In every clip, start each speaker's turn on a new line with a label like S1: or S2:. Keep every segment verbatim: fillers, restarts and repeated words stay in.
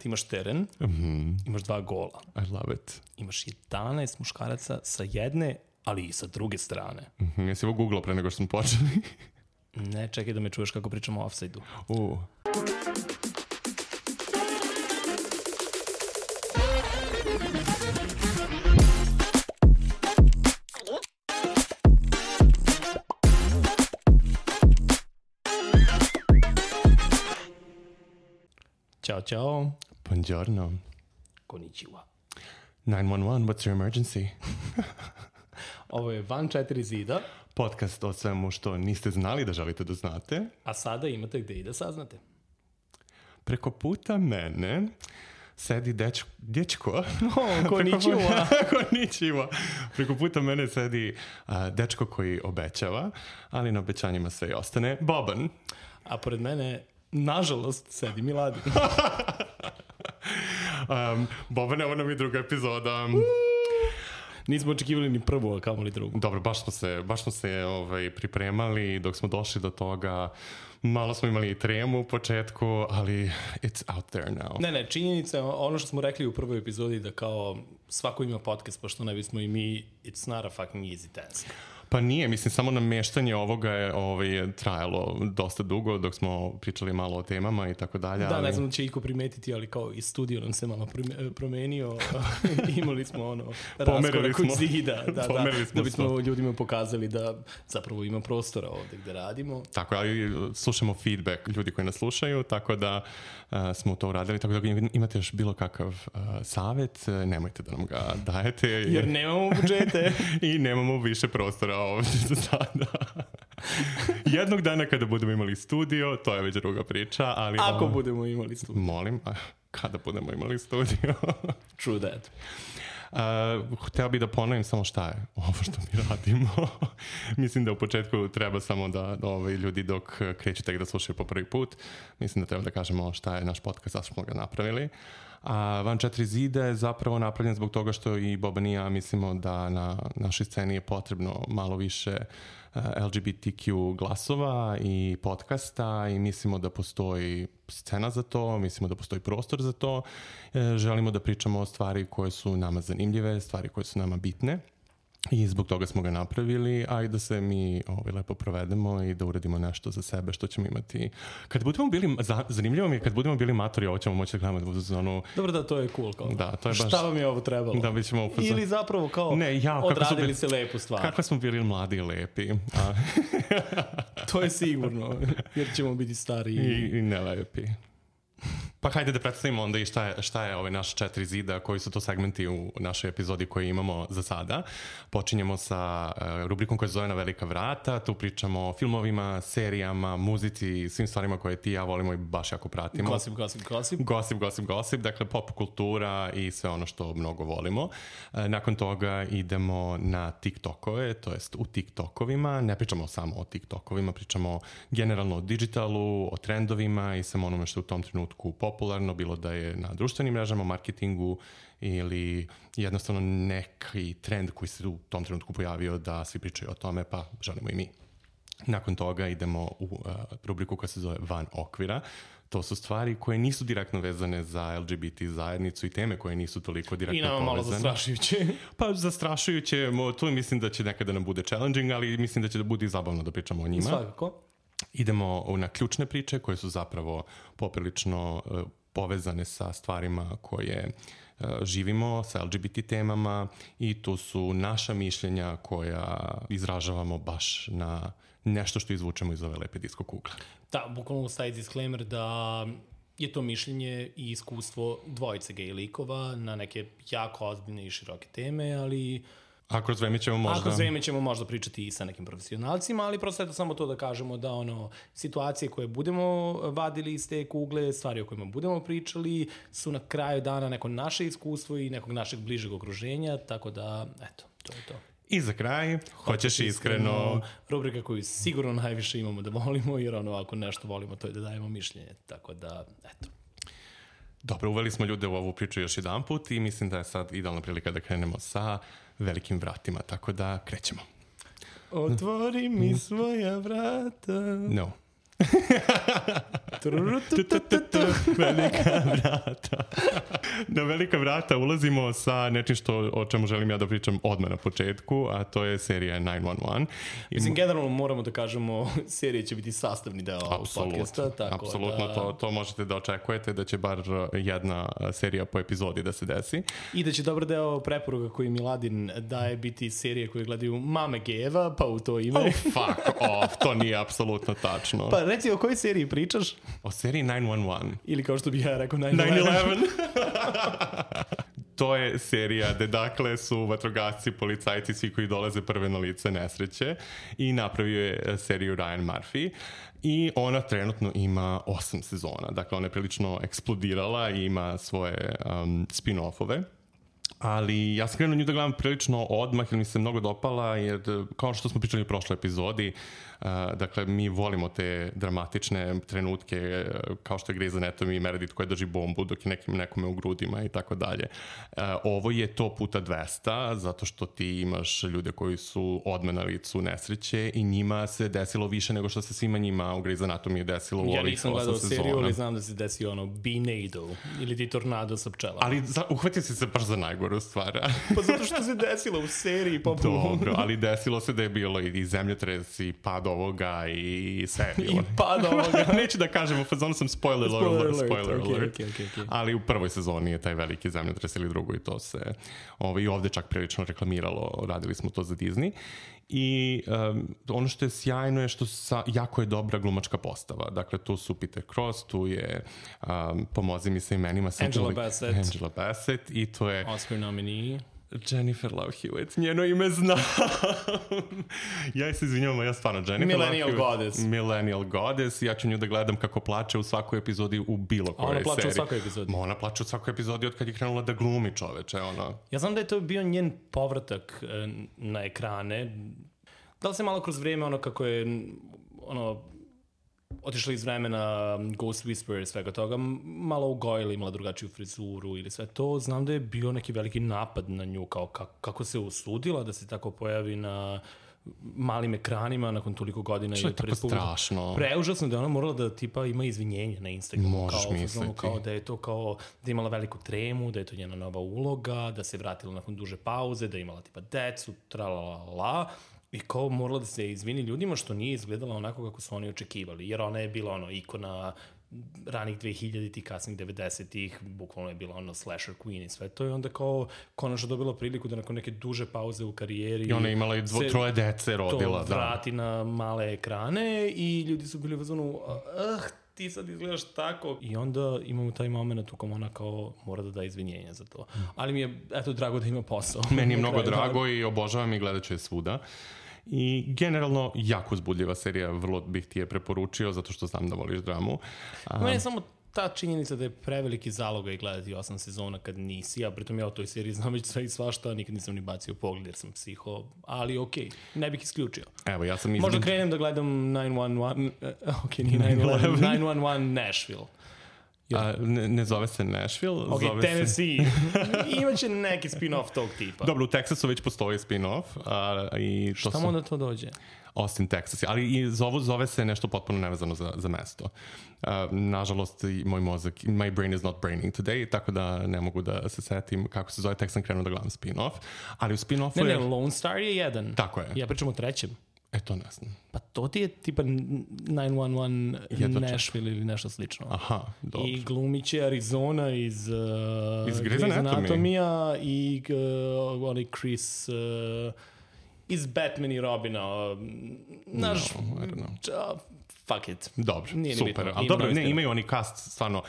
S1: Ti imaš teren,
S2: Mm-hmm.
S1: imaš dva gola.
S2: I love it.
S1: Imaš jedanaest muškaraca sa jedne, ali i sa druge strane.
S2: Mm-hmm. Jesi ovo googlao pre nego što smo počeli?
S1: Ne, čekaj da me čuješ kako pričamo o offside-u.
S2: Uh.
S1: Ćao, čao.
S2: Buongiorno.
S1: Konnichiwa.
S2: nine one one, what's your emergency?
S1: Ovo je Van četiri zida,
S2: Podcast o svemu što niste znali da želite da znate.
S1: a sada imate gde i da saznate.
S2: Preko puta mene sedi dečko... Dječko?
S1: O, konnichiwa.
S2: Konnichiwa. Preko puta mene sedi a, dečko koji obećava, ali na obećanjima sve i ostane. Boban.
S1: A pored mene, nažalost, sedi Miladin.
S2: Um, Boban, evo nam i druga epizoda.
S1: Nismo očekivali ni prvu, a kamoli drugu.
S2: Dobro, baš smo se, baš smo se ovaj, pripremali dok smo došli do toga. Malo smo imali i tremu u početku, ali it's out there now.
S1: Ne, ne, činjenica je ono što smo rekli u prvoj epizodi da kao svako ima podcast, pošto ne bismo i mi, it's not a fucking easy task.
S2: Pa nije, mislim, samo nameštanje ovoga je ovaj, trajalo dosta dugo dok smo pričali malo o temama i tako dalje.
S1: Da,
S2: ali...
S1: ne znam da će iko primetiti, ali kao i studio nam se malo promenio. Imali smo ono raskorak od zida. Da, da, da bismo sto. ljudima pokazali da zapravo ima prostora ovde gde radimo.
S2: Tako, ali slušamo feedback ljudi koji nas slušaju, tako da uh, smo to uradili. Tako da imate još bilo kakav uh, savjet, nemojte da nam ga dajete. Jer,
S1: jer nemamo budžete.
S2: I nemamo više prostora ovdje za sada. Jednog dana kada budemo imali studio, to je već druga priča, ali...
S1: Ako
S2: ovo...
S1: budemo imali studio.
S2: Molim, a kada budemo imali studio?
S1: True that.
S2: Uh, hteo bih da ponovim samo šta je ovo što mi radimo. Mislim da u početku treba samo da ovaj, ljudi dok kreću tek da slušaju po prvi put, mislim da treba da kažemo šta je naš podcast, zašto smo ga napravili. A Van četiri zida je zapravo napravljen zbog toga što i Boban i ja mislimo da na našoj sceni je potrebno malo više L G B T Q glasova i podcasta i mislimo da postoji scena za to, mislimo da postoji prostor za to. Želimo da pričamo o stvari koje su nama zanimljive, stvari koje su nama bitne. I zbog toga smo ga napravili, a i da se mi ovaj, lepo provedemo i da uradimo nešto za sebe što ćemo imati. Kad budemo bili, za, zanimljivo mi je, kad budemo bili matori, ovo ćemo moći da gledamo da budu za onu...
S1: Dobro da, to je cool. Kao.
S2: Da, to je baš...
S1: Šta vam je ovo trebalo?
S2: Da, bi ćemo upozor...
S1: Ili zapravo kao
S2: ne, ja,
S1: odradili
S2: bili,
S1: se lepu stvar.
S2: Kako smo bili mladi i lepi. A...
S1: to je sigurno, jer ćemo biti stari
S2: i, i nelepi. Pa hajde da predstavimo onda i šta je, šta je ovaj naš četiri zida, koji su to segmenti u našoj epizodi koje imamo za sada. Počinjemo sa uh, rubrikom koja se zove Na velika vrata. Tu pričamo o filmovima, serijama, muzici, svim stvarima koje ti i ja volimo i baš jako pratimo.
S1: Gossip, gossip, gossip.
S2: Gossip, gossip, gossip. Dakle, pop kultura i sve ono što mnogo volimo. Uh, nakon toga idemo na TikTokove, to jest u TikTokovima. Ne pričamo samo o TikTokovima, pričamo generalno o digitalu, o trendovima i samo onome što u tom trenutku popularno, bilo da je na društvenim mrežama, marketingu ili jednostavno neki trend koji se u tom trenutku pojavio da svi pričaju o tome, pa želimo i mi. Nakon toga idemo u uh, rubriku koja se zove Van okvira. To su stvari koje nisu direktno vezane za L G B T zajednicu i teme koje nisu toliko direktno povezane.
S1: I nama malo zastrašujuće.
S2: Pa zastrašujuće, tu mislim da će nekada nam bude challenging, ali mislim da će da bude i zabavno da pričamo o njima.
S1: Svakako.
S2: Idemo na ključne priče koje su zapravo poprilično uh, povezane sa stvarima koje uh, živimo, sa L G B T temama i tu su naša mišljenja koja izražavamo baš na nešto što izvučemo iz ove lepe disko kugle.
S1: Da, bukvalno staje disclaimer da je to mišljenje i iskustvo dvojice gej likova na neke jako ozbiljne i široke teme, ali...
S2: A kroz vreme ćemo možda...
S1: A kroz vreme ćemo možda pričati i sa nekim profesionalcima, ali prosto je samo to da kažemo da ono, situacije koje budemo vadili iz te kugle, stvari o kojima budemo pričali, su na kraju dana neko naše iskustvo i nekog našeg bližeg okruženja, tako da, eto, to je to.
S2: I za kraj, hoćeš iskreno... iskreno...
S1: Rubrika koju sigurno najviše imamo da volimo, jer ono, ako nešto volimo, to je da dajemo mišljenje, tako da, eto.
S2: Dobro, uveli smo ljude u ovu priču još jedan put i mislim da je sad idealna prilika da krenemo sa velikim vratima, tako da krećemo.
S1: Otvori mi svoja vrata.
S2: No. Velika vrata. Na velika vrata ulazimo sa nečim što, o čemu želim ja da pričam odmah na početku, a to je serija nine one one.
S1: Mislim, generalno moramo da kažemo, serija će biti sastavni deo ovog podcasta. Tako
S2: apsolutno,
S1: da...
S2: to, to možete da očekujete, da će bar jedna serija po epizodi da se desi.
S1: I da će dobar deo preporuka koji Miladin daje biti serije koje gledaju mame gejeva, pa u to ime.
S2: Oh, fuck off, to nije apsolutno tačno.
S1: Pa reci, o kojoj seriji pričaš?
S2: O seriji nine one one.
S1: Ili kao što bih ja rekao nine
S2: nine
S1: eleven.
S2: eleven. To je serija gde dakle su vatrogasci, policajci, svi koji dolaze prve na lice nesreće i napravio je seriju Ryan Murphy i ona trenutno ima osam sezona. Dakle, ona je prilično eksplodirala i ima svoje um, spin-offove. Ali ja sam krenuo nju da gledam prilično odmah jer mi se mnogo dopala jer kao što smo pričali u prošloj epizodi, uh, dakle mi volimo te dramatične trenutke uh, kao što je Grey's Anatomy i Meredith koja drži bombu dok je nekim, nekome u grudima i tako dalje. Uh, ovo je to puta dvesta zato što ti imaš ljude koji su odmah na licu nesreće i njima se desilo više nego što se svima njima u Grey's Anatomy desilo u
S1: ja
S2: ovih osam sezona. Ja nisam gledao seriju,
S1: ali znam da se desio ono Beanado ili ti tornado sa pčelama.
S2: Ali za, uhvatio si se baš za najgoru stvar.
S1: Pa zato što se desilo u seriji. Pa...
S2: Dobro, ali desilo se da je bilo i zemljotres i pad ovoga i sve.
S1: I pad ovoga.
S2: Neću da kažem, u fazonu sam spoiler,
S1: spoiler alert.
S2: Spoiler
S1: okay,
S2: alert.
S1: Okay, okay, okay.
S2: Ali u prvoj sezoni je taj veliki zemljotres ili drugoj to se ovaj, i ovde čak prilično reklamiralo, radili smo to za Disney. I um, ono što je sjajno je što sa, jako je dobra glumačka postava. Dakle, tu su Peter Cross, tu je um, pomozi mi sa imenima
S1: Angela li, Bassett.
S2: Angela Bassett i to je
S1: Oscar nominee
S2: Jennifer Love Hewitt, njeno ime znam. Ja se izvinjavam, ja stvarno Jennifer
S1: Millennial
S2: Love Hewitt,
S1: Goddess.
S2: Millennial Goddess. Ja ću nju da gledam kako plače u svakoj epizodi u bilo kojoj seriji.
S1: Ona plače u svakoj epizodi.
S2: Ma ona plače u svakoj epizodi od kad je krenula da glumi, čoveče. Ona.
S1: Ja znam da je to bio njen povratak na ekrane. Da li se malo kroz vrijeme ono kako je ono otišla iz vremena Ghost Whisperer i svega toga, malo ugojila, imala drugačiju frizuru ili sve to, znam da je bio neki veliki napad na nju, kao kako, kako se usudila da se tako pojavi na malim ekranima nakon toliko godina.
S2: Što je tako strašno.
S1: Preužasno da je ona morala da tipa ima izvinjenje na Instagramu.
S2: Možeš
S1: kao,
S2: misliti.
S1: Kao da je to kao da je imala veliku tremu, da je to njena nova uloga, da se vratila nakon duže pauze, da je imala tipa decu, tralalala. I kao morala da se izvini ljudima što nije izgledala onako kako su oni očekivali. Jer ona je bila ono ikona ranih dve hiljaditih, kasnih devedesetih, bukvalno je bila ono slasher queen i sve to. I onda kao konačno dobila priliku da nakon neke duže pauze u karijeri...
S2: I ona je imala i dvo, troje dece rodila.
S1: To vrati da. Na male ekrane i ljudi su bili u fazonu, ah, ti sad izgledaš tako. I onda imamo taj moment u kom ona kao mora da da izvinjenja za to. Ali mi je, eto, drago da ima posao.
S2: Meni je mnogo drago i obožavam i gledat ću je svuda. I generalno jako uzbudljiva serija, vrlo bih ti je preporučio zato što znam da voliš dramu.
S1: Um, Meni je samo ta činjenica da je preveliki zalogaj gledati osam sezona kad nisi, a pritom ja o toj seriji znam već sve i svašta, nikad nisam ni bacio pogled jer sam psiho, ali okej, okay, ne bih isključio.
S2: Evo, ja sam između...
S1: Možda krenem da gledam nine one one, uh, ok, nije nine eleven, nine one one Nashville.
S2: A, ne, ne zove se Nashville,
S1: okay,
S2: zove
S1: Tennessee. Se... Imaće neki spin-off tog tipa.
S2: Dobro, u Teksasu već postoji spin-off. A, i to
S1: Šta
S2: su...
S1: mu onda to dođe?
S2: Austin, Texas. Ali i zovu, zove se nešto potpuno nevezano za, za mesto. Uh, nažalost, moj mozak, my brain is not braining today, tako da ne mogu da se setim kako se zove, tek sam krenuo da gledam spin-off. Ali u spin-offu
S1: ne,
S2: je...
S1: Ne, Lone Star je jedan.
S2: Tako je.
S1: Ja pričam o trećem.
S2: E, to ne znam.
S1: Pa to ti je tipa nine one one Nashville ili nešto slično.
S2: Aha, dobro.
S1: I glumit će Arizona iz, uh,
S2: iz Grey's
S1: Anatomija i uh, onaj Chris uh, iz Batman i Robina. Uh, naš...
S2: No, I don't know.
S1: Uh, fuck it.
S2: Dobro,
S1: nije
S2: super. Ali dobro, ne, imaju oni cast stvarno...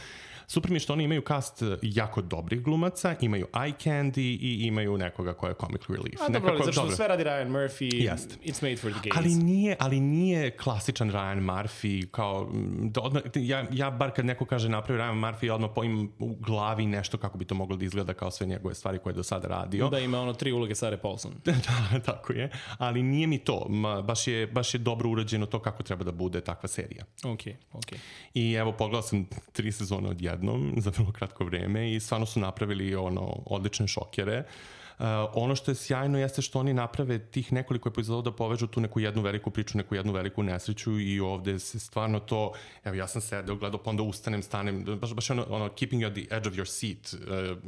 S2: Super mi je što oni imaju cast jako dobrih glumaca, imaju eye candy i imaju nekoga ko je comic relief.
S1: A dobro, nekako, zato što dobro. Sve radi Ryan Murphy,
S2: Jest.
S1: It's made for the gays.
S2: Ali nije, ali nije klasičan Ryan Murphy, kao, da odmah, ja, ja bar kad neko kaže napravio Ryan Murphy, ja odmah imam u glavi nešto kako bi to moglo da izgleda kao sve njegove stvari koje je do sada radio.
S1: Da ima ono tri uloge Sarah Paulson.
S2: Da, tako je. Ali nije mi to. Ma, baš, je, baš je dobro urađeno to kako treba da bude takva serija.
S1: Ok, ok.
S2: I evo, pogledao sam tri sezone odjednom za vrlo kratko vreme i stvarno su napravili ono odlične šokere. Uh, ono što je sjajno jeste što oni naprave tih nekoliko epizoda da povežu tu neku jednu veliku priču, neku jednu veliku nesreću i ovde se stvarno to, evo ja sam sedeo, gledao, pa onda ustanem, stanem, baš, baš ono, ono keeping you at the edge of your seat, uh,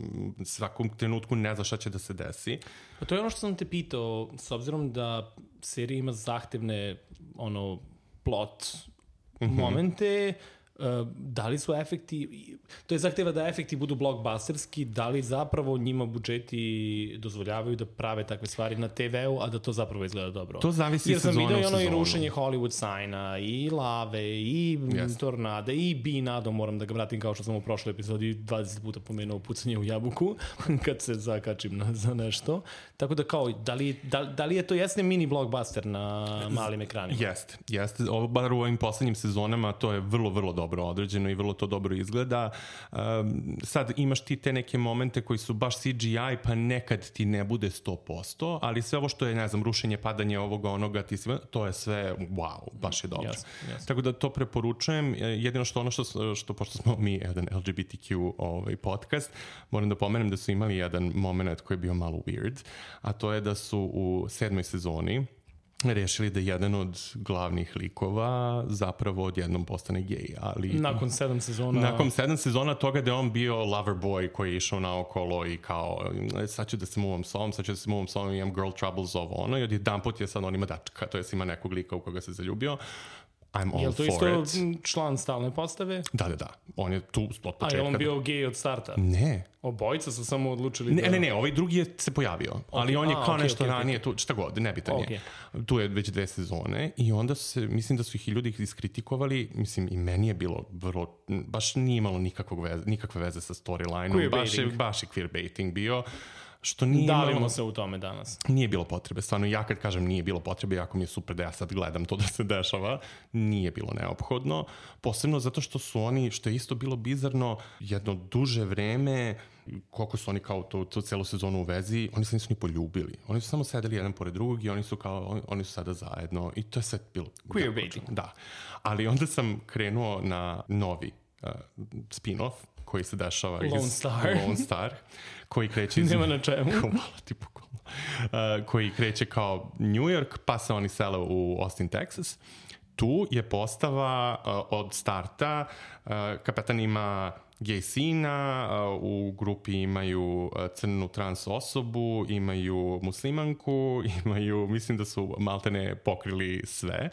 S2: svakom trenutku ne zna šta će da se desi.
S1: Pa to je ono što sam te pitao, s obzirom da serija ima zahtevne ono, plot mm-hmm. momente, uh, da li su efekti, to je zahteva da efekti budu blockbusterski, da li zapravo njima budžeti dozvoljavaju da prave takve stvari na te veu, a da to zapravo izgleda dobro.
S2: To zavisi sezona u sezonu.
S1: Jer sam vidio i ono i rušenje Hollywood signa, i lave, i yes. tornade, i binado, moram da ga vratim kao što sam u prošloj epizodi dvadeset puta pomenuo pucanje u jabuku, kad se zakačim na, za nešto. Tako da kao, da li, da, da li je to jesne mini blockbuster na malim ekranima?
S2: Jeste, jeste. Ovo, bar u ovim poslednjim sezonama to je vrlo, vrlo dobro određeno i vrlo to dobro izgleda. Um, sad imaš ti te neke momente koji su baš C G I, pa nekad ti ne bude sto posto, ali sve ovo što je, ne znam, rušenje, padanje ovoga, onoga, ti si, to je sve, wow, baš je dobro. Yes, yes. Tako da to preporučujem. Jedino što ono što, što pošto smo mi jedan L G B T Q ovaj, podcast, moram da pomenem da su imali jedan moment koji je bio malo weird, a to je da su u sedmoj sezoni rešili da jedan od glavnih likova zapravo odjednom postane gej, ali...
S1: Nakon sedam sezona...
S2: Nakon sedam sezona toga da je on bio lover boy koji je išao naokolo i kao sad ću da se muvam s ovom, sad ću da se muvam s ovom, imam girl troubles ovo ono i od jedan put je sad on ima dačka, to je ima nekog lika u koga se zaljubio. I'm all
S1: je li to
S2: for
S1: isto
S2: it.
S1: Član stalne postave?
S2: Da, da, da. On je tu od početka.
S1: A je on bio gej od starta?
S2: Ne.
S1: Obojica su samo odlučili
S2: ne,
S1: da...
S2: Ne, ne, ovaj drugi je se pojavio. Okay. Ali on je kao
S1: A, okay,
S2: nešto
S1: okay,
S2: ranije,
S1: okay.
S2: tu, šta god, nebitan
S1: okay.
S2: je. Tu je već dve sezone i onda se, mislim da su ih i ljudi iskritikovali, mislim i meni je bilo vrlo, baš nije imalo nikakvog veze, nikakve veze sa storyline-om. Baš je, baš je queerbaiting bio. Što nije
S1: Davimo
S2: imalo,
S1: se u tome danas.
S2: Nije bilo potrebe. Stvarno, ja kad kažem nije bilo potrebe, jako mi je super da ja sad gledam to da se dešava, nije bilo neophodno. Posebno zato što su oni, što je isto bilo bizarno, jedno duže vreme, koliko su oni kao tu, tu celu sezonu u vezi, oni se nisu ni poljubili. Oni su samo sedeli jedan pored drugog i oni su kao, oni, oni su sada zajedno i to je sve bilo...
S1: Queerbaiting.
S2: Da. Ali onda sam krenuo na novi uh, spin-off koji se dešava
S1: Lone
S2: iz
S1: Star.
S2: Lone Star, koji kreće iz...
S1: Nema na čemu.
S2: Hvala ti pokolno. Uh, koji kreće kao New York, pa se oni sele u Austin, Texas. Tu je postava uh, od starta, uh, kapetan ima gej sina, uh, u grupi imaju uh, crnu trans osobu, imaju muslimanku, imaju, mislim da su maltene pokrili sve.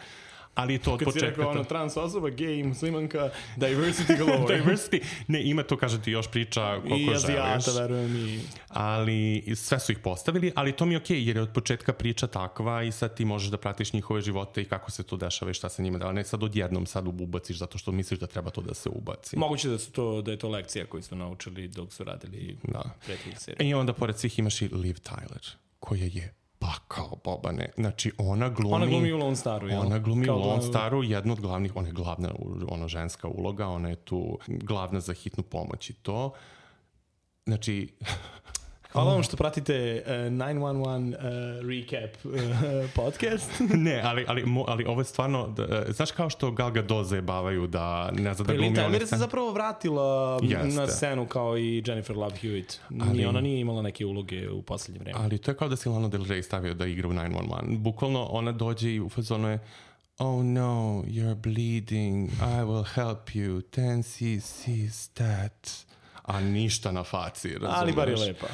S2: Ali to od
S1: kad
S2: početka...
S1: Kad si rekao ono trans osoba, gej, muslimanka, diversity galore.
S2: Diversity. Ne, ima to, kaže ti, još priča koliko želiš.
S1: I azijata, verujem i...
S2: Ali sve su ih postavili, ali to mi je okej, okay, jer je od početka priča takva i sad ti možeš da pratiš njihove živote i kako se to dešava i šta se njima da, ne sad odjednom sad ubaciš zato što misliš da treba to da se ubaci.
S1: Moguće da su to, da je to lekcija koju su naučili dok su radili
S2: da.
S1: prethodnih serija.
S2: I onda pored svih imaš i Liv Tyler, koja je pa kao Bobane. Znači, ona glumi...
S1: Ona glumi u Lone Staru, jel?
S2: Ona glumi
S1: kao
S2: u Lone
S1: glumi...
S2: Staru, jedna od glavnih, ona je glavna, ona ženska uloga, ona je tu glavna za hitnu pomoć i to. Znači...
S1: Hvala vam što pratite uh, devet jedan jedan uh, recap uh, podcast.
S2: Ne, ali, ali, ali ovo je stvarno, da, uh, znaš kao što Gal Gadot zajebavaju da ne zna da glumi...
S1: Pa Liv se zapravo vratila
S2: Jeste.
S1: na scenu kao i Jennifer Love Hewitt. Ali, ona nije imala neke uloge u poslednje vreme.
S2: Ali to je kao da si Lana Del Rey stavio da igra u devet jedan jedan. Bukvalno ona dođe i u fazonu je oh no, you're bleeding, I will help you, ten cc's that. A ništa na faci, razumeš?
S1: Ali bar je lepa.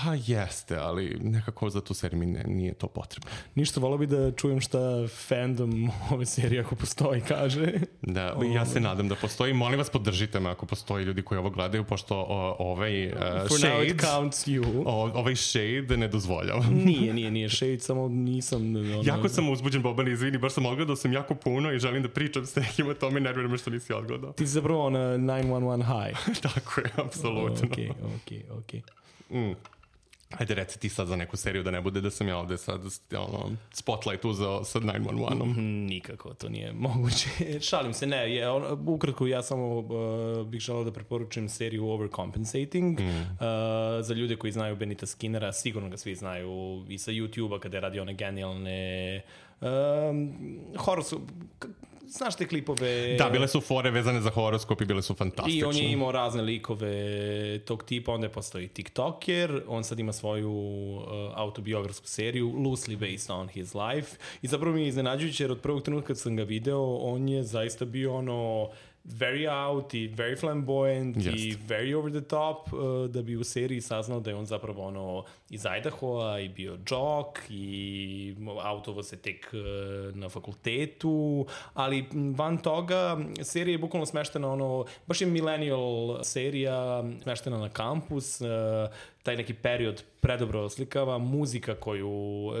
S2: Pa jeste, ali nekako za tu seriju mi ne, nije to potrebno.
S1: Ništa, volao bi da čujem šta fandom ove serije ako postoji kaže.
S2: Da, ja se nadam da postoji. Molim vas, podržite me ako postoji ljudi koji ovo gledaju, pošto o, ovaj uh,
S1: For
S2: shade,
S1: now it counts you.
S2: O, ovaj shade ne dozvoljava.
S1: Nije, nije, nije shade, samo nisam... Ono...
S2: Jako sam uzbuđen, Boban, izvini, baš sam odgledao sam jako puno i želim da pričam s nekima, to me nervira me što nisi odgledao.
S1: Ti si zapravo na devet jedan jedan high.
S2: Tako je, apsolutno.
S1: Okej, okej, okej.
S2: Mm. Ajde, reci ti sad za neku seriju da ne bude da sam ja ovde sad ono, spotlight uzeo sa devet jedan jedan.
S1: Mm, nikako, to nije moguće. Šalim se, ne. Je, on, ukratko, ja samo uh, bih želao da preporučim seriju Overcompensating. Mm. Uh, za ljude koji znaju Benita Skinnera, sigurno ga svi znaju i sa YouTube-a kada je radio one genijalne um, horror su... znaš te klipove...
S2: Da, bile su fore vezane za horoskop i bile su fantastične.
S1: I on je imao razne likove tog tipa, onda je postoji TikToker, on sad ima svoju uh, autobiografsku seriju, loosely based on his life. I zapravo mi je iznenađujuće, jer od prvog trenutka kad sam ga video, on je zaista bio ono... very out i very flamboyant yes. i very over the top uh, da bi u seriji saznao da je on zapravo ono iz Idahoa i bio džok i autovo se tek uh, na fakultetu, ali van toga serija je bukvalno smeštena ono, baš je millennial serija smeštena na kampus, uh, taj neki period predobro oslikava, muzika koju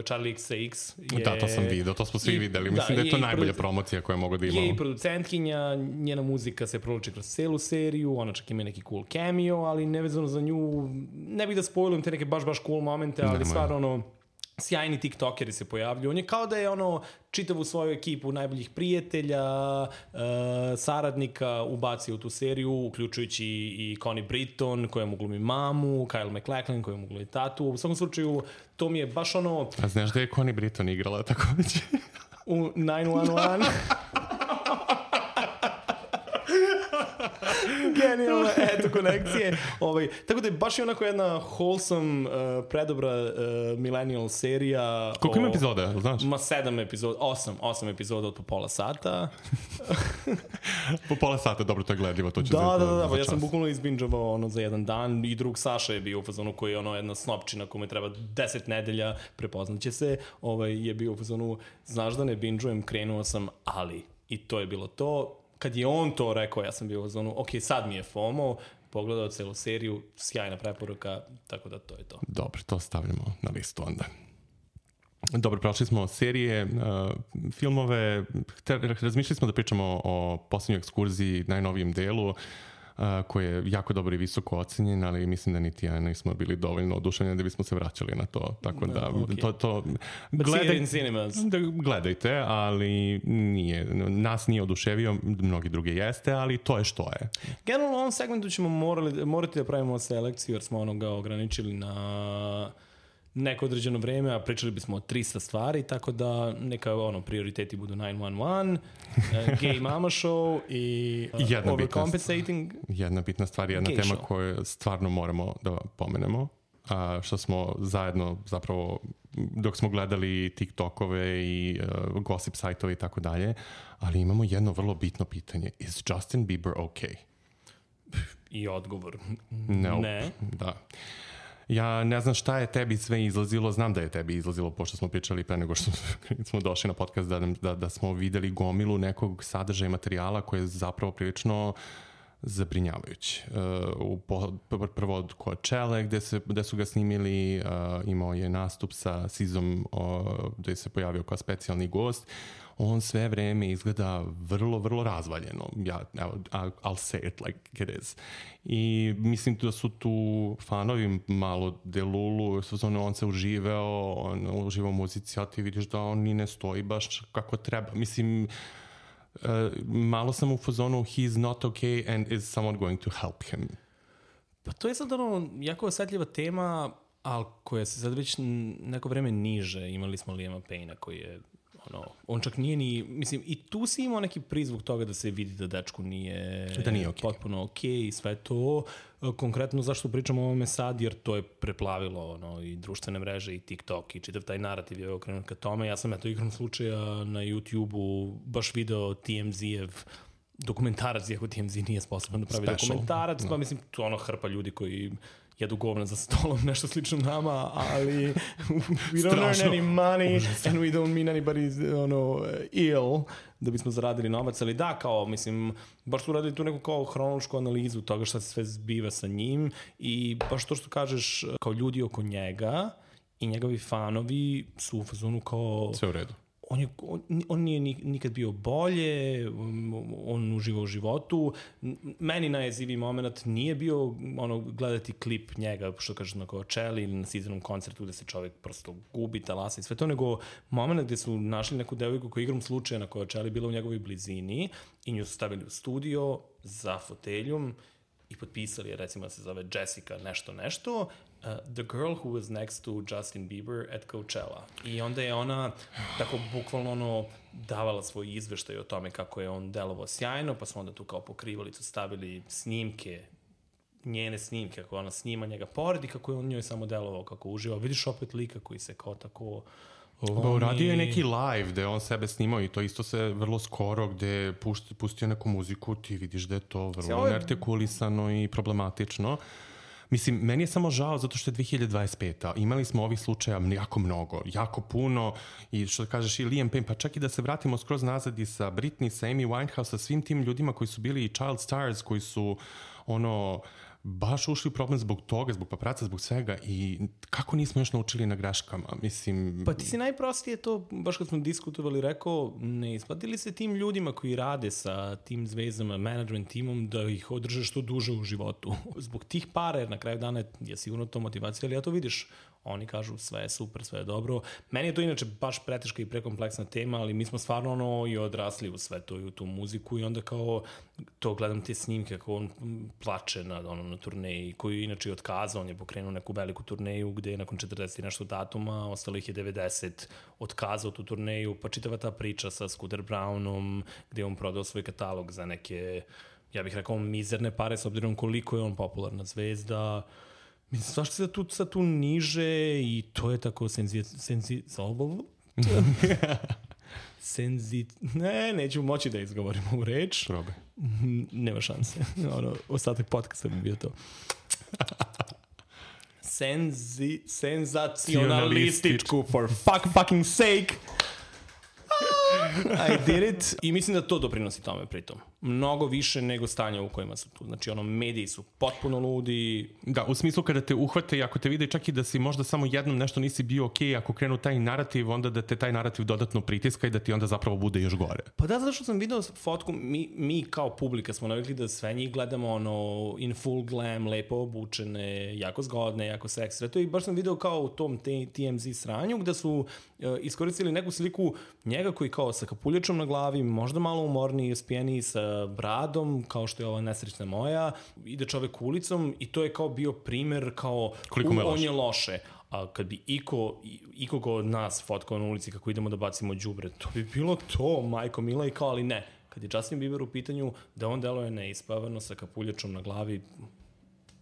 S1: Charlie X C X je...
S2: Da, to sam vidio, to smo svi i, videli. Mislim da, da je to je najbolja produ... promocija koja mogu da imamo.
S1: Je i producentkinja, njena muzika se provlači kroz celu seriju, ona čak ima neki cool cameo, ali nevezano za nju, ne bih da spoilujem te neke baš, baš cool momente, ali stvarno ono, sjajni tiktokeri se pojavljuju. On je kao da je ono čitavu svoju ekipu najboljih prijatelja, uh, saradnika ubacio u tu seriju, uključujući i Connie Britton, koja mu glumi mamu, Kyle MacLachlan, koja mu glumi tatu. U svakom slučaju, to mi je baš ono...
S2: A znaš da je Connie Britton igrala takođe?
S1: U nine one one? Genijalno, eto, konekcije. Ovaj, tako da je baš i onako jedna wholesome, uh, predobra uh, millennial serija.
S2: Koliko ima epizoda, znaš?
S1: Ma sedam epizoda, osam, osam epizoda od po pola sata.
S2: Po pola sata, dobro, to je gledljivo, to će
S1: da,
S2: za,
S1: da, da, da,
S2: za
S1: ja sam bukvalno izbinđavao ono za jedan dan i drug Saša je bio u fazonu koji je ono jedna snopčina kome treba deset nedelja, prepoznaće se, ovaj, je bio u fazonu, znaš da ne binđujem, krenuo sam, ali i to je bilo to. Kad je on to rekao, ja sam bio u zonu, ok, sad mi je FOMO, pogledao celu seriju, sjajna preporuka, tako da to je to.
S2: Dobro, to stavljamo na listu onda. Dobro, prošli smo serije, uh, filmove, te, razmišljali smo da pričamo o posljednjoj ekskurziji, najnovijem delu, Uh, koji je jako dobro i visoko ocenjen, ali mislim da niti ja nismo bili dovoljno oduševljeni da bismo se vraćali na to. Tako da,
S1: no, okay.
S2: to, to
S1: gledaj,
S2: da, gledajte, ali nije, nas nije oduševio, mnogi druge jeste, ali to je što je.
S1: Generalno u ovom segmentu ćemo morali, morati da pravimo selekciju, jer smo onoga ograničili na neko određeno vreme, a pričali bismo o trista stvari, tako da neka ono, prioriteti budu nine one one, uh, Gay Mama Show i uh, Overcompensating.
S2: Jedna bitna stvar, jedna
S1: Gay
S2: tema
S1: show.
S2: koju stvarno moramo da pomenemo, a što smo zajedno zapravo, dok smo gledali TikTokove i uh, gossip sajtove i tako dalje, ali imamo jedno vrlo bitno pitanje. Is Justin Bieber okay?
S1: I odgovor.
S2: Nope.
S1: Ne.
S2: Da. Ja ne znam šta je tebi sve izlazilo, znam da je tebi izlazilo, pošto smo pričali pre nego što smo došli na podcast, da, da, da smo videli gomilu nekog sadržaja i materijala koji je zapravo prilično zabrinjavajući. Uh, po, prvo od Coachelle gde, se, gde su ga snimili, uh, imao je nastup sa Sizom uh, gde se pojavio kao specijalni gost. On sve vreme izgleda vrlo, vrlo razvaljeno. Ja, evo, I'll say it like it is. I mislim da su tu fanovi malo delulu, on se uživao, on uživao u muzici, a ti vidiš da on ni ne stoji baš kako treba. Mislim, uh, malo sam u fazonu he's not okay and is someone going to help him.
S1: Pa to je sad ono jako osjetljiva tema, ali koja se sad već neko vreme niže. Imali smo Liama Payne-a koji je ono, on čak nije ni, mislim, i tu si imao neki prizvuk toga da se vidi da dečku nije,
S2: da nije okay.
S1: potpuno okej okay i sve to. Konkretno zašto pričamo o ovome sad, jer to je preplavilo ono, i društvene mreže i TikTok i čitav taj narativ je okrenut ka tome. Ja sam eto igrom slučaja na YouTube-u baš video T M Z-ev dokumentarac, iako T M Z nije sposoban da pravi Special. dokumentarac, no. Pa mislim, to ono hrpa ljudi koji jedu govna za stolom, nešto slično nama, ali we don't earn any money Užasno. and we don't mean anybody ono, ill da bismo zaradili novac, ali da, kao, mislim, baš su radili tu neku kao hronološku analizu toga šta se sve zbiva sa njim i baš to što kažeš, kao ljudi oko njega i njegovi fanovi su u fazonu kao...
S2: Sve u redu.
S1: On, je, on, on nije nikad bio bolje, on uživa u životu. Meni najjeziviji moment nije bio ono, gledati klip njega, što kažeš na Coachelli ili na Sizenom koncertu gde se čovjek prosto gubi, talasa i sve to, nego moment gde su našli neku devojku koja igrom slučaja na Coachelli bila u njegovoj blizini i nju su stavili u studio za foteljom i potpisali je, recimo da se zove Jessica nešto nešto, uh, The Girl Who Was Next to Justin Bieber at Coachella. I onda je ona tako bukvalno ono davala svoj izveštaj o tome kako je on delovao sjajno, pa smo onda tu kao pokrivalicu stavili snimke, njene snimke, kako ona snima njega pored i kako je on njoj samo delovao, kako uživao. Vidiš opet lika koji se kao tako...
S2: Ba, uradio je neki live gde on sebe snimao i to isto se vrlo skoro gde pušti, pustio neku muziku, ti vidiš da je to vrlo je... neartikulisano i problematično. Mislim, meni je samo žao zato što je dve hiljade dvadeset peta. Imali smo ovih slučaja jako mnogo, jako puno i što kažeš i Liam Payne, pa čak i da se vratimo skroz nazad i sa Britney, sa Amy Winehouse, sa svim tim ljudima koji su bili child stars, koji su ono... baš ušli u problem zbog toga, zbog papraca, zbog svega i kako nismo još naučili na greškama, mislim...
S1: Pa ti si najprostije to, baš kad smo diskutovali, rekao, ne isplatili se tim ljudima koji rade sa tim zvezdama, management timom, da ih održe što duže u životu. Zbog tih para, jer na kraju dana je sigurno to motivacija, ali ja to vidiš, oni kažu sve je super, sve je dobro. Meni je to inače baš preteška i prekompleksna tema, ali mi smo stvarno ono i odrasli u sve to i u tu muziku i onda kao to gledam te snimke kako on plače na, ono, na turneji, koju je inače otkazao, on je pokrenuo neku veliku turneju gde je nakon četrdeset i nešto datuma, ostalo ih je devedeset, otkazao tu turneju, pa čitava ta priča sa Scooter Brownom, gde je on prodao svoj katalog za neke, ja bih rekao, mizerne pare, s obzirom koliko je on popularna zvezda. Mislim, svašta se tu, sad tu niže i to je tako senzi... senzi... senzi... Ne, neću moći da izgovorim ovu reč.
S2: Probaj.
S1: Nema šanse. Ono, ostatak podcasta bi bio to. Senzi... Senzacionalističku, for fuck fucking sake. I did it. I mislim da to doprinosi tome pritom. Mnogo više nego stanja u kojima su tu. Znači, ono, mediji su potpuno ludi.
S2: Da, u smislu kada te uhvate i ako te vide čak i da si možda samo jednom nešto nisi bio okej, ako krenu taj narativ, onda da te taj narativ dodatno pritiska i da ti onda zapravo bude još gore.
S1: Pa da, zato što sam video fotku, mi, mi kao publika smo navikli da sve njih gledamo ono, in full glam, lepo obučene, jako zgodne, jako seksre. To i baš sam video kao u tom T M Z sranju gde su uh, iskoristili neku sliku njega koji kao sa kapuljačom na glavi, možda malo umorniji, spijeniji, sa bradom, kao što je ova nesrećna moja, ide čovek ulicom i to je kao bio primer kao
S2: koliko me
S1: on je loše. A kad bi iko, ikoga od nas fotkao na ulici kako idemo da bacimo đubre, to bi bilo to, majko mila, i kao, ali ne. Kad je Justin Bieber u pitanju da on deluje neispavano sa kapuljačom na glavi,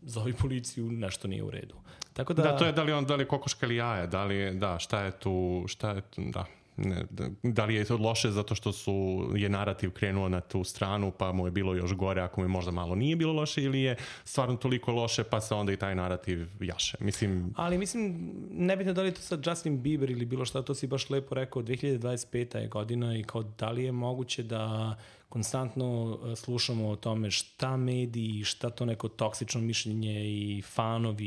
S1: zovi policiju, nešto nije u redu. Tako da...
S2: Da, to je da li on, da li je kokoška ili jaja, da li je, da, šta je tu, šta je tu, da. Ne, da, da li je to loše zato što su, je narativ krenuo na tu stranu pa mu je bilo još gore ako mu je možda malo nije bilo loše ili je stvarno toliko loše pa se onda i taj narativ jaše. Mislim...
S1: Ali mislim, nebitno da li je to sad Justin Bieber ili bilo šta, to si baš lepo rekao, dve hiljade dvadeset peta je godina i kao da li je moguće da konstantno slušamo o tome šta mediji, šta to neko toksično mišljenje i fanovi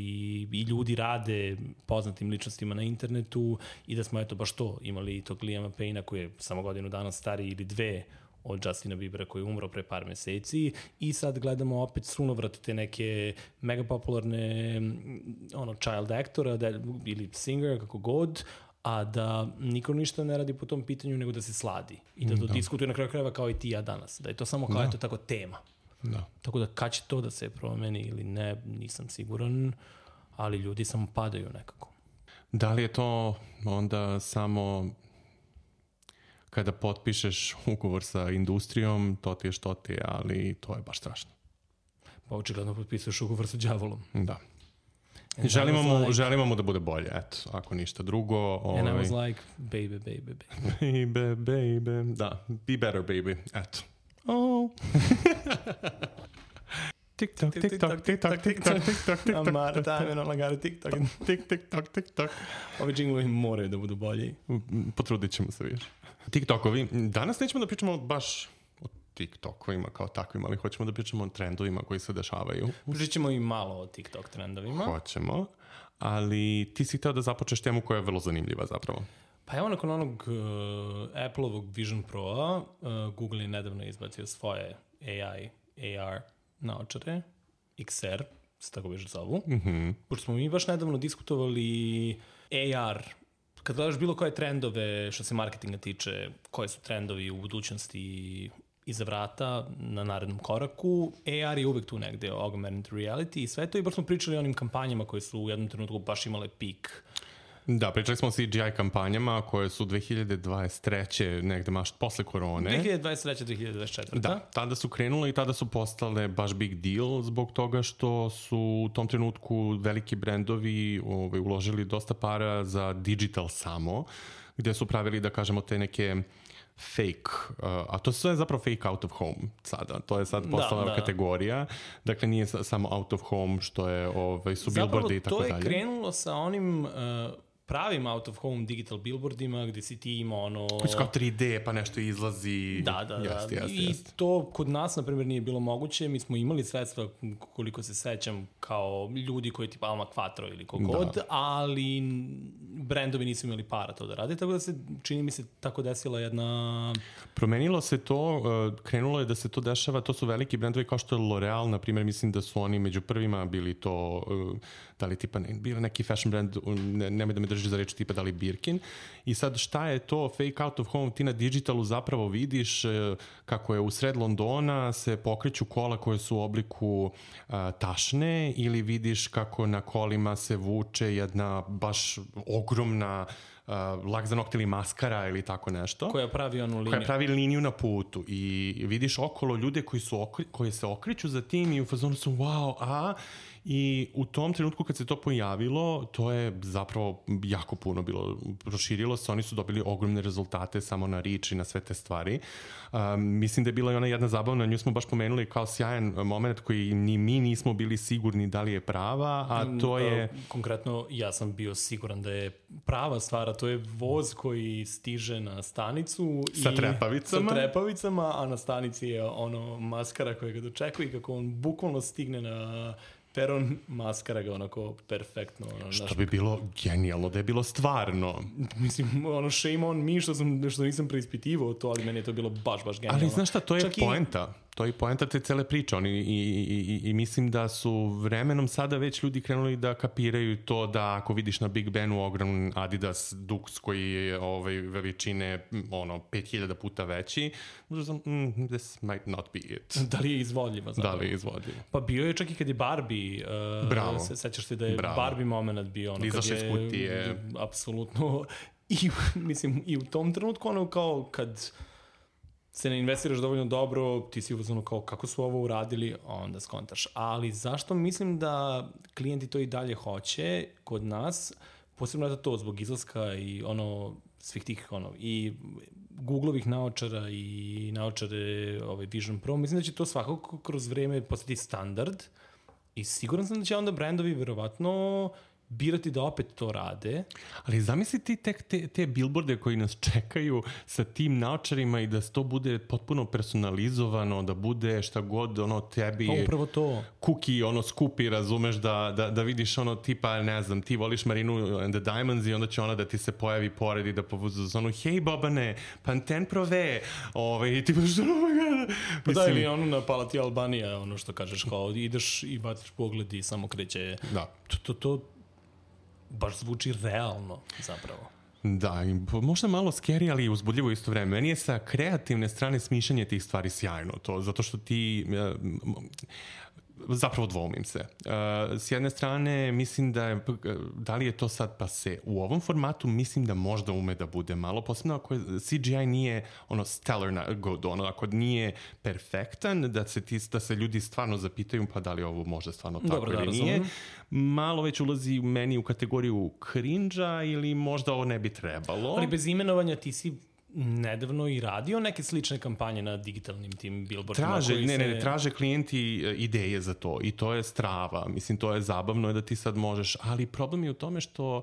S1: i ljudi rade poznatim ličnostima na internetu i da smo eto baš to imali tog Liama Payna koji je samo godinu dana stariji ili dve od Justina Biebera koji je umro pre par meseci i sad gledamo opet sunovrat te neke mega popularne ono, child actora da, ili singer, kako god, a da niko ništa ne radi po tom pitanju nego da se sladi i da to da. diskutuje na kraju krajeva kao i ti ja danas. Da je to samo kao da. eto tako tema.
S2: Da.
S1: Tako da kad će to da se promeni ili ne, nisam siguran, ali ljudi samo padaju nekako.
S2: Da li je to onda samo kada potpišeš ugovor sa industrijom, to ti je što ti je, ali to je baš strašno.
S1: Pa očigledno potpisuješ ugovor sa đavolom.
S2: Da. Želimo mu, like, želimo mu da bude bolje, eto, ako ništa drugo. Ovaj...
S1: And I was like, baby, baby, baby.
S2: Baby, baby, da, be better, baby, eto.
S1: Oh.
S2: TikTok, TikTok, TikTok, TikTok, TikTok, TikTok.
S1: Amara, time on lagare TikTok.
S2: Tik, TikTok, TikTok.
S1: Ovi džinglovi moraju da budu bolji.
S2: Potrudit ćemo se više. TikTokovi, danas nećemo da pričamo baš o TikTokovima kao takvim, ali hoćemo da pričamo o trendovima koji se dešavaju.
S1: Pričat ćemo i malo o TikTok trendovima.
S2: Hoćemo, ali ti si hteo da započeš temu koja je vrlo zanimljiva zapravo.
S1: Pa evo nakon onog uh, Apple-ovog Vision Pro-a, uh, Google je nedavno izbacio svoje A I, A R naočare, X R, se tako više zovu.
S2: Mm-hmm.
S1: Pošto smo mi baš nedavno diskutovali A R, kad gledaš bilo koje trendove što se marketinga tiče, koje su trendovi u budućnosti iza vrata na narednom koraku. A R je uvek tu negde, augmented reality i sve to, i baš smo pričali o onim kampanjama koje su u jednom trenutku baš imale pik.
S2: Da, pričali smo o C G I kampanjama koje su dve hiljade dvadeset treće negde maš posle korone.
S1: dve hiljade dvadeset treće dve hiljade dvadeset četvrte
S2: Da, tada su krenule i tada su postale baš big deal zbog toga što su u tom trenutku veliki brendovi ovaj, uložili dosta para za digital samo, gde su pravili, da kažemo, te neke fake, uh, a to sve je zapravo fake out of home sada. To je sad postala
S1: da, da.
S2: kategorija. Dakle, nije samo out of home što je, ovaj, su billboardi i tako dalje.
S1: Zapravo to je krenulo sa onim uh, pravim out of home digital billboardima gde si ti ima ono...
S2: Koji su kao tri D pa nešto izlazi.
S1: Da, da,
S2: jeste,
S1: da.
S2: Jeste,
S1: I
S2: jeste.
S1: to kod nas, na primjer, nije bilo moguće. Mi smo imali sredstva, koliko se sećam, kao ljudi koji tipa Alma Quattro ili kogod, da. Ali brendovi nisu imali para to da rade, tako da se, čini mi se, tako desila jedna...
S2: Promenilo se to, krenulo je da se to dešava, to su veliki brendovi kao što je L'Oreal, na primjer, mislim da su oni među prvima bili to, da li tipa, ne, bio neki fashion brand, ne, nemoj da me drži za reč, tipa da li Birkin. I sad šta je to fake out of home? Ti na digitalu zapravo vidiš kako je u sred Londona se pokreću kola koje su u obliku a, tašne, ili vidiš kako na kolima se vuče jedna baš ogromna Uh, lak za nokte ili maskara ili tako nešto.
S1: Koja pravi onu liniju.
S2: Koja pravi liniju na putu i vidiš okolo ljude koji, su okri, koji se okreću za tim i u fazonu su wow, a i u tom trenutku kad se to pojavilo, to je zapravo jako puno bilo, proširilo se, oni su dobili ogromne rezultate samo na reach i na sve te stvari. Um, mislim da je bila i ona jedna zabavna, nju smo baš pomenuli kao sjajan moment koji ni mi nismo bili sigurni da li je prava, a to je...
S1: Konkretno, ja sam bio siguran da je prava stvar, a to je voz koji stiže na stanicu
S2: sa
S1: i
S2: trepavicama.
S1: Sa trepavicama, a na stanici je ono maskara koja ga dočekuje i kako on bukvalno stigne na peron, maskara ga onako perfektno. Ono,
S2: što
S1: naš...
S2: bi bilo genijalno, da je bilo stvarno.
S1: Mislim, ono, shame on me što, sam, što nisam preispitivao to, ali meni je to bilo baš, baš genijalno.
S2: Ali znaš šta, to je
S1: Čak
S2: poenta. I... To je poenta te cele priče. Oni, i, i, i, I mislim da su vremenom sada već ljudi krenuli da kapiraju to da ako vidiš na Big Benu ogroman Adidas Dux koji je ovaj, veličine ono, pet hiljada puta veći, možda sam, mm, this might not be it.
S1: Da li je izvodljiva? Zapravo?
S2: Da li je izvodljiva?
S1: Pa bio je čak i kad je Barbie. Uh,
S2: Bravo.
S1: Se, sećaš se da je
S2: Bravo.
S1: Barbie moment bio. Ono,
S2: izašao iz kutije.
S1: Je, apsolutno. I, mislim, i u tom trenutku ono kao kad se ne investiraš dovoljno dobro, ti si uzmano kao kako su ovo uradili, onda skontaš. Ali zašto mislim da klijenti to i dalje hoće kod nas, posebno je to zbog izlaska i ono svih tih ono i Googlovih naočara i naočare ovaj Vision Pro, mislim da će to svakako kroz vreme postati standard i siguran sam da će onda brendovi verovatno birati da opet to rade.
S2: Ali zamisli ti tek te, te billboarde koji nas čekaju sa tim naočarima i da to bude potpuno personalizovano, da bude šta god ono tebi
S1: pa upravo to.
S2: Kuki ono skupi, razumeš, da, da, da vidiš ono tipa, ne znam, ti voliš Marinu and the Diamonds i onda će ona da ti se pojavi pored i da povuzu za ono, hej Bobane, Pantene Prove, ovaj, i ti budeš, oh my god.
S1: Pa da, ili ono na Palati Albanija, ono što kažeš, kao ideš i baciš pogled i samo kreće.
S2: Da.
S1: To, to, to baš zvuči realno, zapravo.
S2: Da, možda malo scary, ali uzbudljivo isto vreme. Meni je sa kreativne strane smišljanje tih stvari sjajno, to, zato što ti... Zapravo dvoumim se. Uh, s jedne strane, mislim da je, da li je to sad pase? U ovom formatu mislim da možda ume da bude malo, posebno ako je, C G I nije ono stellar good, ono, ako nije perfektan, da se, ti, da se ljudi stvarno zapitaju pa da li ovo možda stvarno tako
S1: Dobro,
S2: ili
S1: da,
S2: nije. Malo već ulazi meni u kategoriju cringe-a ili možda ovo ne bi trebalo.
S1: Ali bez imenovanja ti si nedavno i radio neke slične kampanje na digitalnim tim billboardima.
S2: Traže, ne,
S1: se...
S2: ne, traže klijenti ideje za to i to je strava. Mislim, to je zabavno je da ti sad možeš, ali problem je u tome što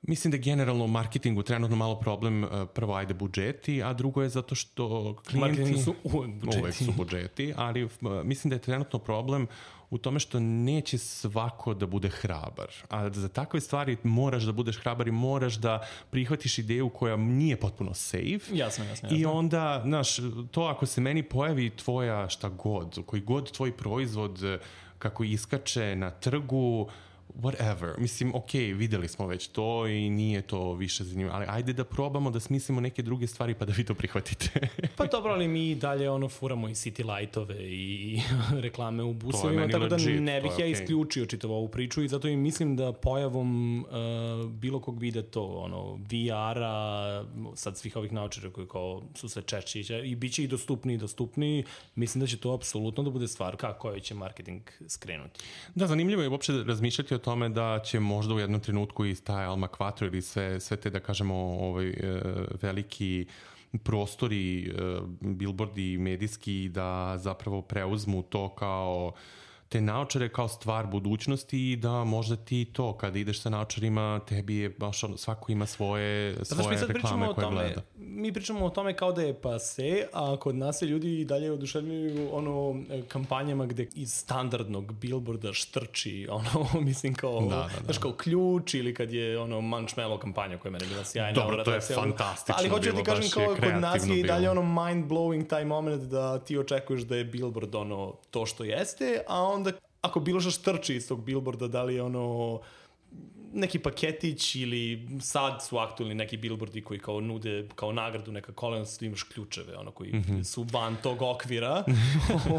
S2: mislim da generalno u marketingu trenutno malo problem, prvo ajde budžeti, a drugo je zato što klijenti...
S1: Marketingu su uvek budžeti.
S2: Uvek su budžeti, ali mislim da je trenutno problem u tome što neće svako da bude hrabar. A za takve stvari moraš da budeš hrabar i moraš da prihvatiš ideju koja nije potpuno safe.
S1: Jasno, jasno, jasno.
S2: I onda, znaš, to ako se meni pojavi tvoja šta god, koji god tvoj proizvod kako iskače na trgu, whatever. Mislim, ok, videli smo već to i nije to više zanimljivo, ali ajde da probamo da smislimo neke druge stvari pa da vi to prihvatite.
S1: Pa dobro, ali mi dalje ono furamo i City Lightove i reklame u busevima, tako da
S2: legit,
S1: ne bih ja
S2: okay.
S1: isključio čitavu ovu priču i zato i mislim da pojavom uh, bilo kog vide to, ono, V R-a, sad svih ovih naučara koji kao su sve češći i bit će i dostupniji i dostupniji, mislim da će to apsolutno da bude stvar kako koji će marketing skrenuti.
S2: Da, zanimljivo je uopšte razmišljati o tome da će možda u jednom trenutku i taj Alma Quattro ili sve, sve te, da kažemo, ovaj, e, veliki prostori, e, billboardi medijski da zapravo preuzmu to kao te naočare kao stvar budućnosti i da možda ti to, kada ideš sa naočarima, tebi je baš ono, svako ima svoje, svoje reklame koje
S1: tome,
S2: gleda.
S1: Mi pričamo o tome kao da je pase, a kod nas se ljudi i dalje oduševljuju ono, kampanjama gde iz standardnog billboarda štrči, ono, mislim kao,
S2: da, da, da.
S1: Znaš, kao ključ ili kad je ono Manchmello kampanja koja je meni bila sjajna.
S2: Dobro, to je fantastično.
S1: Ali hoću da ti kažem kao kod nas je i dalje
S2: bilo.
S1: ono mind-blowing taj moment da ti očekuješ da je billboard ono to što jeste, a onda ako bilo što štrči iz tog billboarda, da li je ono neki paketić ili sad su aktualni neki billboardi koji kao nude kao nagradu neka kolena, s imaš ključeve, ono koji mm-hmm. su van tog okvira.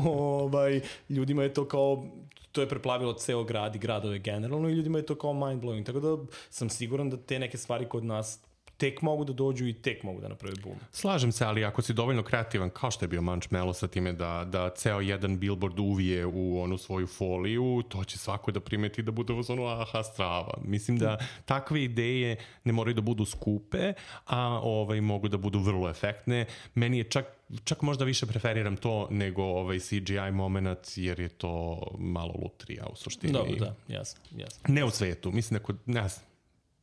S1: ovaj, ljudima je to kao, to je preplavilo ceo grad i gradove generalno i ljudima je to kao mind-blowing. Tako da sam siguran da te neke stvari kod nas tek mogu da dođu i tek mogu da napravi boom.
S2: Slažem se, ali ako si dovoljno kreativan, kao što je bio Manchmello sa time da, da ceo jedan billboard uvije u onu svoju foliju, to će svako da primeti da bude ono aha, strava. Mislim da takve ideje ne moraju da budu skupe, a ovaj, mogu da budu vrlo efektne. Meni je čak čak možda više preferiram to nego ovaj C G I moment, jer je to malo lutrija u suštini.
S1: Dobro, da, jasno, jasno.
S2: Ne u svetu, mislim da kod, ne znam,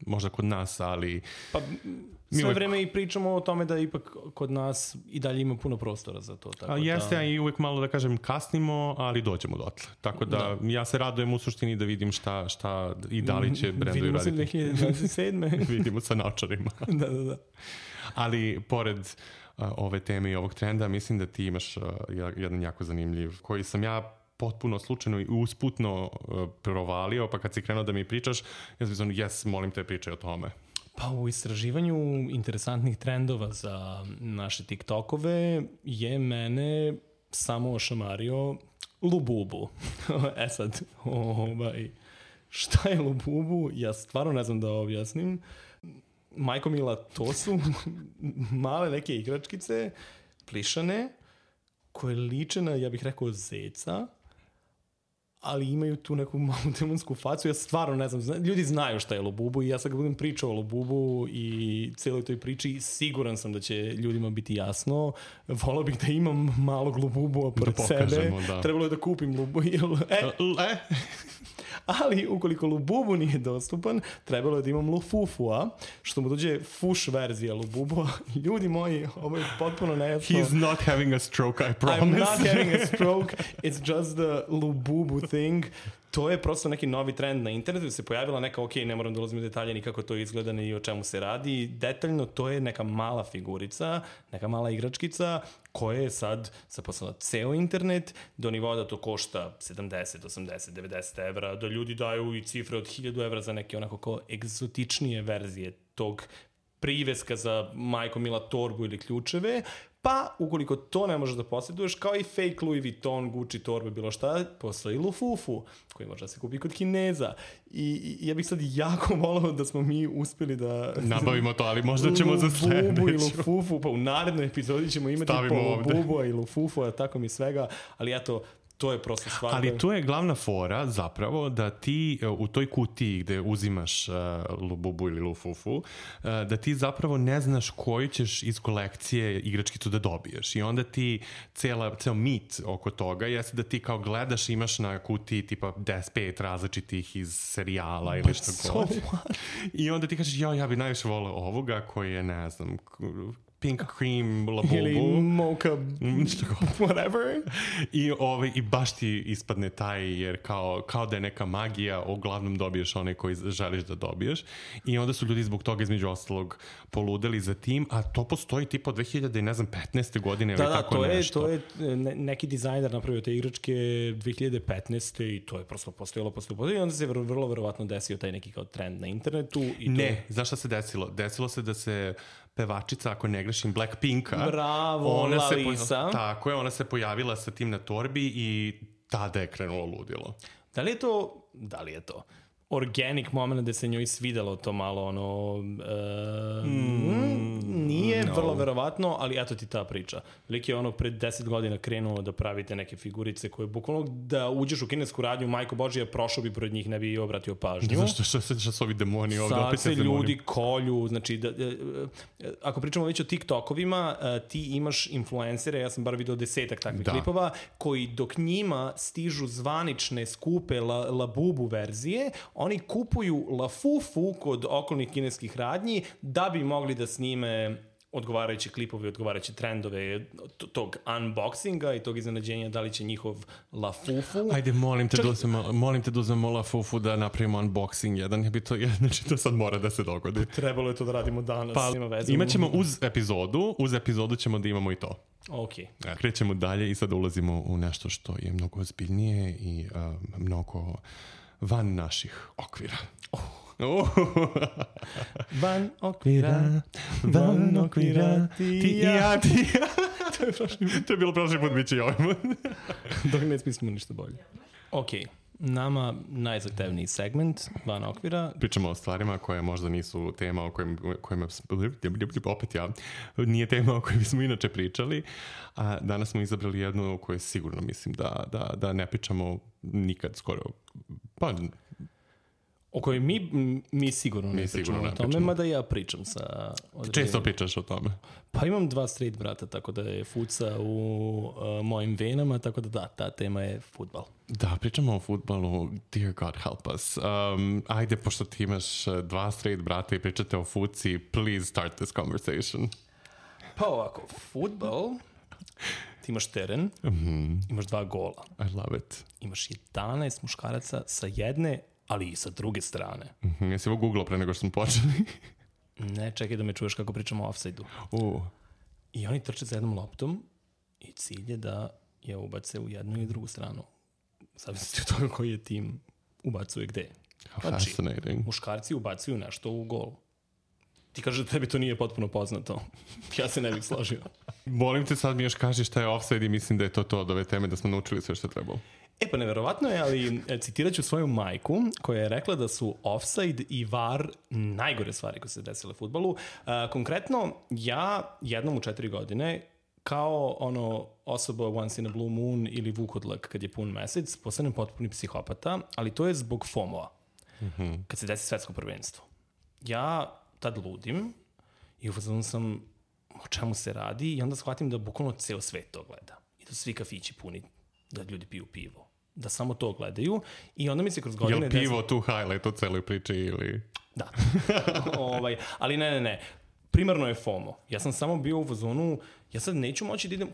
S2: možda kod nas, ali...
S1: Pa sve uvek... vreme i pričamo o tome da ipak kod nas i dalje ima puno prostora za to. Tako
S2: a jeste,
S1: da...
S2: a i uvek malo da kažem kasnimo, ali dođemo dotle. Tako da, da. ja se radujem u suštini da vidim šta, šta i da li će brendovi raditi.
S1: Vidimo se dve hiljade dvadeset sedme
S2: Vidimo sa naočarima.
S1: da, da, da.
S2: Ali pored uh, ove teme i ovog trenda, mislim da ti imaš uh, jedan jako zanimljiv, koji sam ja potpuno slučajno i usputno uh, provalio, pa kad si krenuo da mi pričaš, ja sam zvonu, jes, molim te, pričaj o tome.
S1: Pa u istraživanju interesantnih trendova za naše TikTokove je mene samo ošamario Lububu. E sad, ovaj, šta je Lububu? Ja stvarno ne znam da objasnim. Majko Mila, to su male neke igračkice, plišane, koje liče na, ja bih rekao, zeca, ali imaju tu neku malu demonsku facu. Ja stvarno ne znam, zna, ljudi znaju šta je Lububu i ja sad budem pričao o Lububu i cijeloj toj priči, siguran sam da će ljudima biti jasno. Volao bih da imam malog Lububu pored da sebe. Da. Trebalo je da kupim Lububu. E,
S2: e.
S1: Ali ukoliko Lububu nije dostupan, trebalo je da imam Lufufua, što mu dođe fuš verzija Lububua. Ljudi moji, ovo je potpuno nejasno.
S2: He's not having a stroke, I promise.
S1: I'm not having a stroke, it's just the Lububu thing. To je prosto neki novi trend na internetu, da se pojavila neka, ok, ne moram da ulazim u detalje ni kako to izgleda ni o čemu se radi. Detaljno to je neka mala figurica, neka mala igračkica koja je sad zaposlala ceo internet do nivoa da to košta sedamdeset, osamdeset, devedeset evra, da ljudi daju i cifre od hiljadu evra za neke onako kao egzotičnije verzije tog priveska za Majko Mila torbu ili ključeve. Pa, ukoliko to ne možeš da posjeduješ, kao i fake Louis Vuitton, Gucci torbe, bilo šta, postoji Lufufu, koji može da se kupi kod Kineza. I, i ja bih sad jako volao da smo mi uspeli da...
S2: nabavimo to, ali možda ćemo za sledeću.
S1: Lububu i Lufufu, pa u narednoj epizodi ćemo imati po Lububu i Lufufu, a tako mi svega, ali eto, to je prosto stvar.
S2: Ali tu je glavna fora zapravo da ti u toj kutiji gde uzimaš uh, Lububu ili Lufufu, uh, da ti zapravo ne znaš koju ćeš iz kolekcije igračkicu da dobiješ. I onda ti cela, ceo mit oko toga jeste da ti kao gledaš, imaš na kutiji tipa deset pet različitih iz serijala ili što god. I onda ti kažeš, ja, ja bi najviše volao ovoga koji je, ne znam, pink cream labubu.
S1: Ili mocha, whatever.
S2: I, ovaj, I baš ti ispadne taj, jer kao, kao da je neka magija, uglavnom dobiješ onaj koji želiš da dobiješ. I onda su ljudi zbog toga između ostalog poludeli za tim, a to postoji tipa od dve hiljade petnaeste godine
S1: da,
S2: ili
S1: da,
S2: tako
S1: to
S2: nešto.
S1: Je, to je neki dizajner napravio te igračke dve hiljade petnaeste i to je prosto postojalo, postojalo. I onda se vrlo, vrlo verovatno desio taj neki kao trend na internetu. I to...
S2: Ne, zašto se desilo? Desilo se da se pevačica, ako ne grešim, Blackpinka.
S1: Bravo,
S2: ona
S1: Lalisa.
S2: Se poja- tako je, ona se pojavila sa tim na torbi i tada je krenulo ludilo.
S1: Da li je to, da li je to organic moment da se njoj svidelo to malo ono uh, mm, nije no. vrlo verovatno, ali eto ti ta priča. Lik je ono pred deset godina krenuo da pravite neke figurice koje bukvalno da uđeš u kinesku radnju, majko Božija, prošao bi pored njih, ne bi obratio pažnju.
S2: Zašto što se što su ovi demoni ovde?
S1: Sad
S2: opet
S1: se
S2: demoni.
S1: ljudi kolju, znači da, da, ako pričamo već o TikTokovima, ti imaš influencere, ja sam bar video desetak takvih da. klipova, koji dok njima stižu zvanične skupe la, labubu verzije, oni kupuju lafufu kod okolnih kineskih radnji da bi mogli da snime odgovarajući klipovi, odgovarajući trendove tog unboxinga i tog iznenađenja da li će njihov lafufu...
S2: Ajde, molim te,
S1: Čak...
S2: da uzmemo, molim te da uzmemo lafufu da napravimo unboxing jedan. Ja bi to, znači to sad mora da se dogodi.
S1: Trebalo je to da radimo danas.
S2: Pa, imat ćemo uz epizodu, uz epizodu ćemo da imamo i to.
S1: Ok.
S2: Ja, krećemo dalje i sad ulazimo u nešto što je mnogo ozbiljnije i uh, mnogo van naših okvira.
S1: Oh. Oh. Van okvira, van okvira, ti i ja, ti i ja.
S2: to, je prošli, to je bilo prošli put, bit će i ovaj put.
S1: Dok ne smislimo ništa bolje. Ok, nama najzahtevniji segment van okvira.
S2: Pričamo o stvarima koje možda nisu tema o kojima, kojima opet ja, nije tema o kojima smo inače pričali, a danas smo izabrali jednu o kojoj sigurno mislim da, da, da ne pričamo nikad skoro, pa...
S1: O kojoj mi, mi sigurno ne
S2: mi
S1: pričamo
S2: sigurno
S1: o tome,
S2: pričamo.
S1: Mada ja pričam sa... Određenim.
S2: Često pričaš o tome.
S1: Pa imam dva straight brata, tako da je fuca u uh, mojim venama, tako da da, ta tema je fudbal.
S2: Da, pričamo o fudbalu, dear God help us. Um, ajde, pošto ti imaš dva straight brata i pričate o fuci, please start this conversation.
S1: Pa ovako, fudbal, ti imaš teren, mm-hmm. imaš dva gola.
S2: I love it.
S1: Imaš jedanaest muškaraca sa jedne, ali i sa druge strane.
S2: Mm-hmm. Jesi ovo googlao pre nego što smo počeli?
S1: Ne, čekaj da me čuješ kako pričamo o offside-u.
S2: Uh.
S1: I oni trče za jednom loptom i cilj je da je ubace u jednu i drugu stranu. Zavisno od toga koji je tim ubacuje gde.
S2: How znači, fascinating.
S1: Muškarci ubacuju nešto u gol. Ti kažeš da tebi to nije potpuno poznato. Ja se ne bih složio.
S2: Molim te, sad mi još kaži šta je offside i mislim da je to to od ove teme, da smo naučili sve što je trebalo.
S1: E pa neverovatno je, ali citirat ću svoju majku koja je rekla da su offside i V A R najgore stvari koje se desile u fudbalu. Uh, konkretno, ja jednom u četiri godine kao ono osoba once in a blue moon ili vukodlak kad je pun mesec, postanem potpuni psihopata, ali to je zbog FOMO-a. Mm-hmm. Kad se desi svetsko prvenstvo. Ja tad ludim i ufazonu sam o čemu se radi i onda shvatim da bukvalno ceo svet to gleda. I da svi kafići puni, da ljudi piju pivo. Da samo to gledaju i onda mi se kroz godine...
S2: Je li pivo tu highlight u celoj priči ili...
S1: Da. ovaj, ali ne, ne, ne. Primarno je FOMO. Ja sam samo bio u fazonu, ja sad neću moći da idem,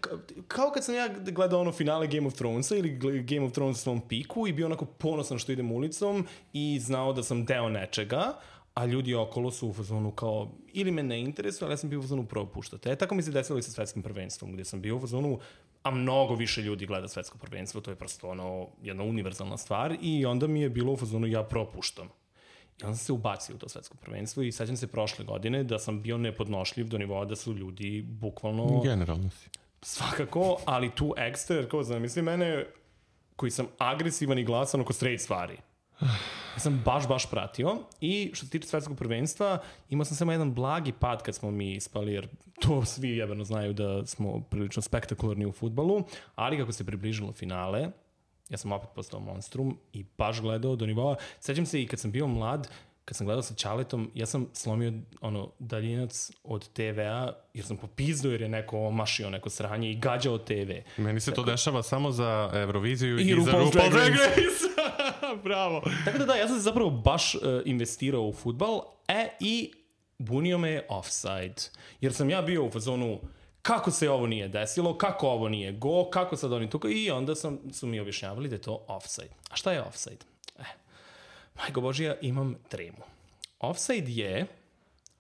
S1: kao kad sam ja gledao ono finale Game of Thronesa ili Game of Thrones u svom piku i bio onako ponosan što idem ulicom i znao da sam deo nečega, a ljudi okolo su u fazonu kao, ili me ne interesuje, ali ja sam bio u fazonu propuštate. E, tako mi se desilo i sa svetskim prvenstvom, gdje sam bio u fazonu, a mnogo više ljudi gleda svetsko prvenstvo, to je prosto ono, jedna univerzalna stvar i onda mi je bilo u fazonu, ja propuštam. I onda sam se ubacio u to svetsko prvenstvo i sećam se prošle godine da sam bio nepodnošljiv do nivoa da su ljudi bukvalno...
S2: Generalno si.
S1: Svakako, ali tu ekstra, jer kao zamisli mene koji sam agresivan i glasan oko straight stvari. Ja sam baš, baš pratio i što se tiče svetskog prvenstva imao sam samo jedan blagi pad kad smo mi ispali, jer to svi jebeno znaju da smo prilično spektakularni u fudbalu, ali kako se približilo finale, ja sam opet postao monstrum i baš gledao do nivoa. Sećam se i kad sam bio mlad, kad sam gledao sa Ćaletom, ja sam slomio ono daljinac od te vea, jer sam popizdao jer je neko omašio neko sranje i gađao te ve.
S2: Meni se
S1: tako...
S2: to dešava samo za Euroviziju i,
S1: i
S2: za
S1: RuPaul's Drag
S2: Race. Bravo.
S1: Tako da da, ja sam se zapravo baš uh, investirao u fudbal, e i bunio me je offside. Jer sam ja bio u fazonu, kako se ovo nije desilo, kako ovo nije go, kako sad oni tukaju, i onda sam, su mi objašnjavali da je to offside. A šta je offside? Eh, majko Božija, imam tremu. Offside je,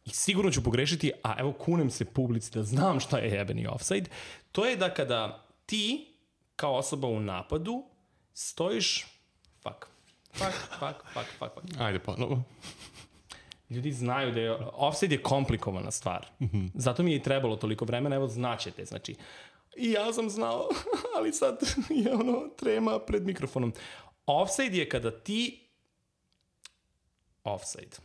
S1: i sigurno ću pogrešiti, a evo kunem se publici da znam šta je jebeni offside, to je da kada ti, kao osoba u napadu, stojiš, fuck, fuck, fuck, fuck, fuck, fuck.
S2: Ajde ponovo.
S1: Ljudi znaju da je, offside je komplikovana stvar. Mm-hmm. Zato mi je i trebalo toliko vremena, evo znaćete, znači, i ja sam znao, ali sad je ono trema pred mikrofonom. Offside je kada ti, offside.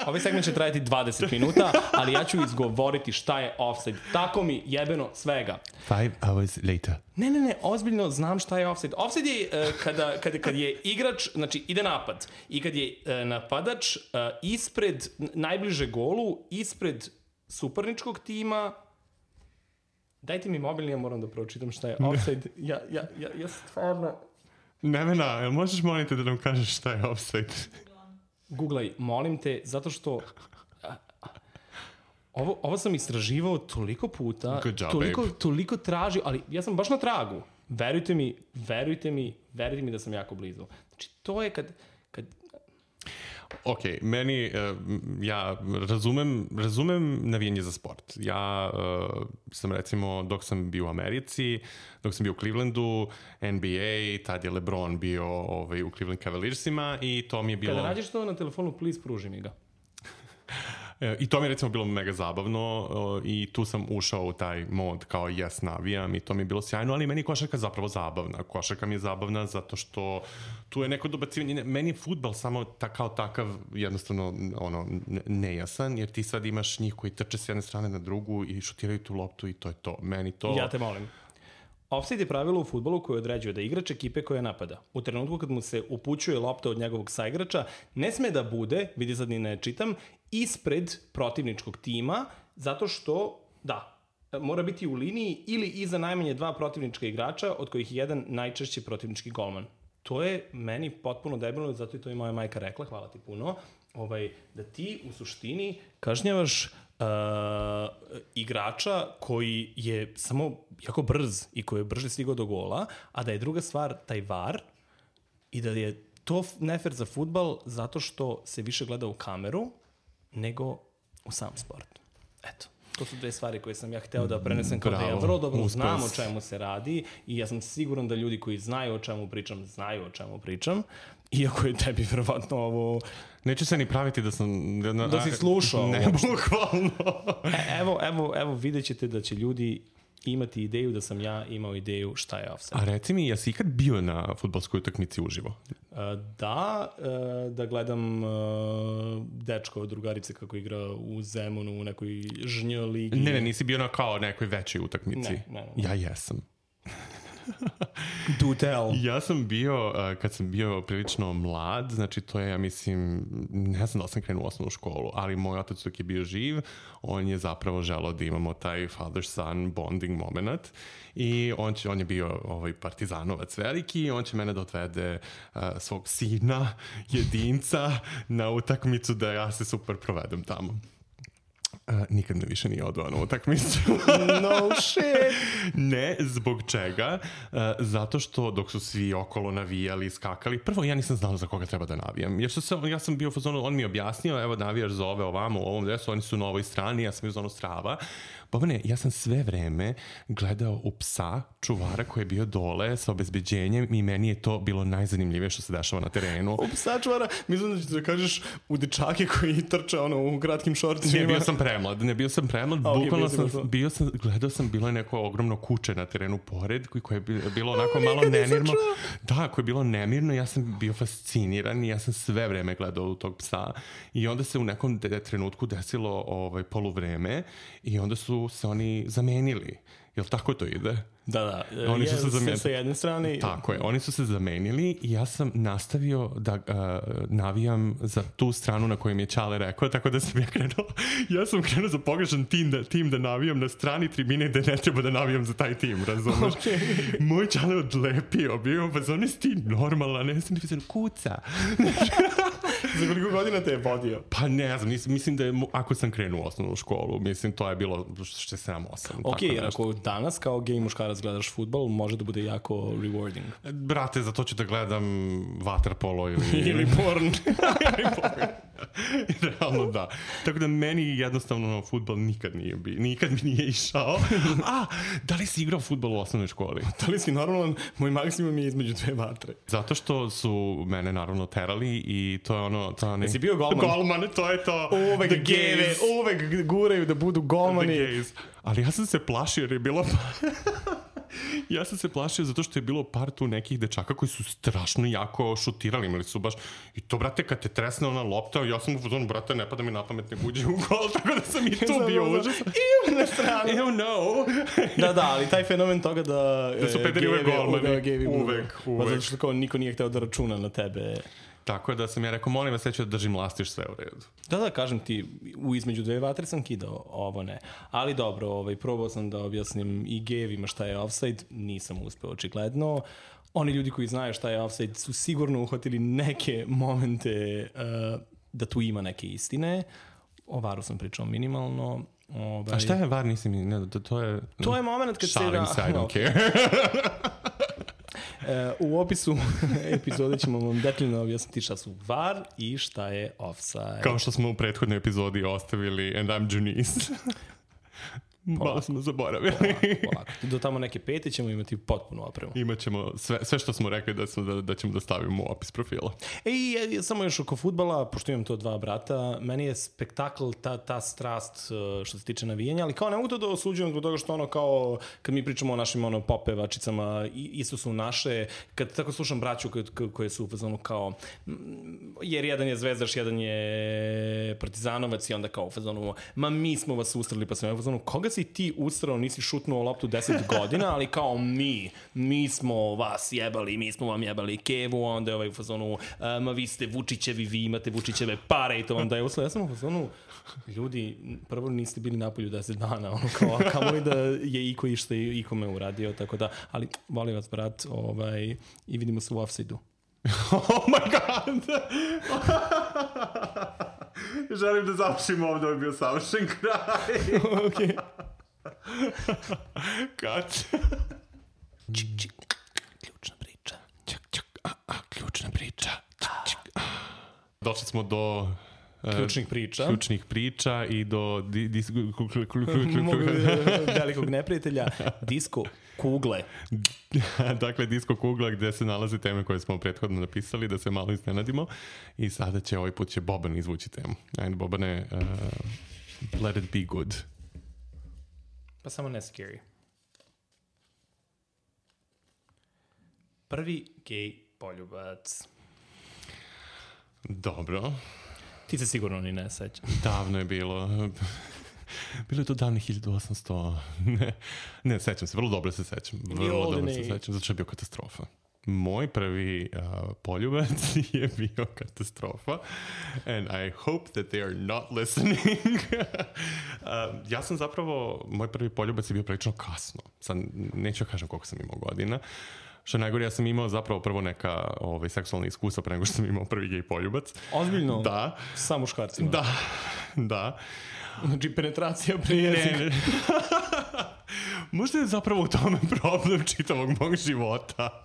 S1: Ovaj segment će trajati dvadeset minuta, ali ja ću izgovoriti šta je offside. Tako mi jebeno svega.
S2: Five hours later.
S1: Ne, ne, ne, ozbiljno znam šta je offside. Offside je uh, kada, kada, kad je igrač, znači ide napad, i kad je uh, napadač uh, ispred, najbliže golu, ispred suparničkog tima. Dajte mi mobilni, ja moram da pročitam šta je offside. Ja, ja, ja, ja stvarno...
S2: Nevena, jel možeš moliti da nam kažeš šta je offside?
S1: Googlaj, molim te, zato što ovo, ovo sam istraživao toliko puta,
S2: Job,
S1: toliko, toliko tražio, ali ja sam baš na tragu. Verujte mi, verujte mi, verujte mi da sam jako blizu. Znači, to je kad... kad...
S2: Ok, meni, uh, ja razumem, razumem navijanje za sport. Ja uh, sam recimo, dok sam bio u Americi, dok sam bio u Clevelandu, N B A, tad je LeBron bio ovaj, u Cleveland Cavaliersima i to mi je bilo...
S1: Kada nađeš to na telefonu, please, pruži mi ga.
S2: I to mi je recimo bilo mega zabavno i tu sam ušao u taj mod kao yes, navijam i to mi je bilo sjajno, ali meni je košarka zapravo zabavna. Košarka mi je zabavna zato što tu je neko dobacivanje. Meni je fudbal samo ta, kao takav jednostavno ono, nejasan, jer ti sad imaš njih koji trče s jedne strane na drugu i šutiraju tu loptu i to je to. Meni to...
S1: Ja te molim. Offside je pravilo u fudbalu koje određuje da igrač ekipe koja napada. U trenutku kad mu se upućuje lopta od njegovog saigrača, ne sme da bude, vidi sad ni ne čitam, ispred protivničkog tima, zato što, da, mora biti u liniji ili iza najmanje dva protivnička igrača, od kojih je jedan najčešće protivnički golman. To je meni potpuno debilno, zato i to i moja majka rekla, hvala ti puno, ovaj, da ti u suštini kažnjavaš uh, igrača koji je samo jako brz i koji je brže stigao do gola, a da je druga stvar taj var i da je to nefer za fudbal zato što se više gleda u kameru nego u sam sport. Eto. To su dve stvari koje sam ja hteo da prenesem kao da ja vrlo dobro uspes. Znam o čemu se radi i ja sam siguran da ljudi koji znaju o čemu pričam, znaju o čemu pričam, iako je tebi verovatno ovo...
S2: Neću se ni praviti da sam... Da,
S1: da si slušao.
S2: Ne, bukvalno.
S1: E, evo, evo, evo, vidjet ćete da će ljudi imati ideju da sam ja imao ideju šta je offside.
S2: A reci mi, jesi ikad bio na fudbalskoj utakmici uživo?
S1: Uh, da, uh, da gledam uh, dečka od drugarice kako igra u Zemunu u nekoj žnj ligi.
S2: Ne, ne, nisi bio na kao nekoj većoj utakmici.
S1: Ne, ne, ne.
S2: Ja jesam.
S1: Do tell.
S2: Ja sam bio, uh, kad sam bio prilično mlad, znači to je, ja mislim, ne znam da sam krenuo u osnovnu školu, ali moj otac dok je bio živ, on je zapravo želao da imamo taj father-son bonding moment i on, će, on je bio ovaj partizanovac veliki i on će mene da odvede uh, svog sina, jedinca, na utakmicu da ja se super provedem tamo. Uh, nikad me više nije odveo na utakmicu.
S1: No shit!
S2: Ne, zbog čega? Uh, zato što dok su svi okolo navijali, skakali, prvo ja nisam znao za koga treba da navijam. Jer što se, ja sam bio u fazonu, on mi je objasnio, evo navijaš za ove ovamo u ovom dresu, oni su na ovoj strani, ja sam bio u zonu strava. Bobane, ja sam sve vreme gledao u psa, čuvara koji je bio dole sa obezbeđenjem i meni je to bilo najzanimljivije što se dešava na terenu.
S1: U psa čuvara, mislim da ćeš da kažeš u dečake koji trče ono, u kratkim šorcima.
S2: Ne, bio sam premlad, ne bio sam premlad, okay, bukvalno sam, bio sam, gledao sam, bilo je neko ogromno kuće na terenu pored, koje je bilo onako malo nemirno. Da, koje je bilo nemirno, ja sam bio fasciniran i ja sam sve vreme gledao u tog psa i onda se u nekom de- trenutku desilo ovaj, poluvreme i onda su se oni zamenili. Jel tako to ide?
S1: Da, da.
S2: Oni
S1: je,
S2: su se zamenili.
S1: Sa jedne strane...
S2: Tako je. Oni su se zamenili i ja sam nastavio da uh, navijam za tu stranu na kojoj mi je Čale rekao, tako da sam ja krenuo. Ja sam krenuo za pogrešan tim da, tim da navijam na strani tribine gde ne treba da navijam za taj tim, razumeš? Okay. Moj Čale odlepio, bio, pa zoni si ti normalna, ne sam ti pisano, kuca.
S1: Za koliko godina te je vodio?
S2: Pa ne znam, mislim, mislim da je, ako sam krenuo u osnovnu školu, mislim, to je bilo što sedam osam.
S1: Ok, jer ako danas kao gej muškarac gledaš fudbal, može da bude jako rewarding.
S2: Brate, za to ću da gledam waterpolo ili...
S1: ili porn.
S2: ili porn. Realno da. Tako da meni jednostavno fudbal nikad nije bi, nikad mi nije išao. A, da li si igrao fudbal u osnovnoj školi?
S1: Da li si normalan? Moj maksimum je između dve vatre.
S2: Zato što su mene naravno terali i to je ono... To ne...
S1: Jesi bio golman?
S2: Golman, to je to.
S1: Uvek geve, uvek guraju da budu golmani.
S2: Ali ja sam se plašio jer je bilo... Ja sam se plašio zato što je bilo par tu nekih dečaka koji su strašno jako šutirali, imali su baš, i to, brate, kad te tresne ona lopta, ja sam u fazonu, brate, ne pada mi na pamet, ne uđe u gol, tako da sam i tu bio užas.
S1: Ew, na stranu.
S2: Ew, no.
S1: Da, da, ali taj fenomen toga da...
S2: Da su pederi uvek golmani.
S1: Uvek,
S2: uvek.
S1: Pa zato što kao niko nije hteo da računa na tebe.
S2: Tako da sam ja rekao, molim vas, ja ću da držim lastiš, sve u redu.
S1: Da, da, kažem ti, u između dve vatre sam kidao, ovo ne. Ali dobro, ovaj, probao sam da objasnim i gejevima šta je offside, nisam uspeo očigledno. Oni ljudi koji znaju šta je offside su sigurno uhvatili neke momente uh, da tu ima neke istine. O varu sam pričao minimalno. Ovaj...
S2: A šta je var, nisi mi, ne, to, to je...
S1: To je moment kad se...
S2: Šalim se, I don't care.
S1: U opisu epizode ćemo vam detaljno objasniti šta su var i šta je offside.
S2: Kao što smo u prethodnoj epizodi ostavili And I'm Junice. Malo smo zaboravili.
S1: Polako, polako. Do tamo neke pete ćemo imati potpunu opremu.
S2: Imaćemo sve, sve što smo rekli da, smo, da, da ćemo da stavimo u opis profila.
S1: E, i samo još oko fudbala, pošto imam to dva brata, meni je spektakl ta, ta strast što se tiče navijanja, ali kao ne mogu to da osuđujem zbog toga što ono kao, kad mi pričamo o našim ono, popevačicama, isto su naše, kad tako slušam braću koje, koje su u fazonu kao, jer jedan je zvezdaš, jedan je partizanovac i onda kao u fazonu, ma mi smo vas ustrali, pa sam u fazonu, koga si ti ustrao, nisi šutnuo loptu deset godina, ali kao mi, mi smo vas jebali, mi smo vam jebali kevu, onda je ovaj u fazonu, ma vi ste Vučićevi, vi imate Vučićeve pare i to vam daje uslov. Ja sam u fazonu, ljudi, prvo niste bili napolju deset dana, ono kao, kamo li da je iko išta i ikome uradio, tako da, ali volim vas, brat, ovaj, i vidimo se u offside-u.
S2: Oh my god! Želim da završim ovdje, ovo je bio savršen kraj.
S1: Okej.
S2: Kad?
S1: Čik, čik, ključna priča.
S2: Čak, čak, a, a, ključna priča. Čik, čik, a. Došli smo do...
S1: Ključnih priča.
S2: Ključnih priča i do di, dis, kl, kl, kl,
S1: Mogu, velikog neprijatelja. Disko kugle.
S2: Dakle, disko kugla gde se nalaze teme koje smo prethodno napisali, da se malo iznenadimo. I sada će, ovaj put će Boban izvući temu. Ajde, Bobane, uh, let it be good.
S1: Pa samo ne scary. Prvi gej poljubac.
S2: Dobro.
S1: Ti se sigurno ni ne sećam.
S2: Davno je bilo. Bilo je to davno hiljadu osamsto. Ne, ne, sećam se, vrlo dobro se sećam. Vrlo dobro se sećam, zato što je bio katastrofa. Moj prvi uh, poljubac je bio katastrofa. And I hope that they are not listening. uh, ja sam zapravo, moj prvi poljubac je bio prilično kasno. Sad neću kažem koliko sam imao godina. Što najgore, ja sam imao zapravo prvo neka ovaj, seksualna iskustva pre nego što sam imao prvi gej poljubac.
S1: Ozbiljno?
S2: Da.
S1: Sa muškarcima?
S2: Da, da.
S1: Znači, penetracija pre jezika.
S2: Ne, ne. Možda je zapravo u tome problem čitavog mog života.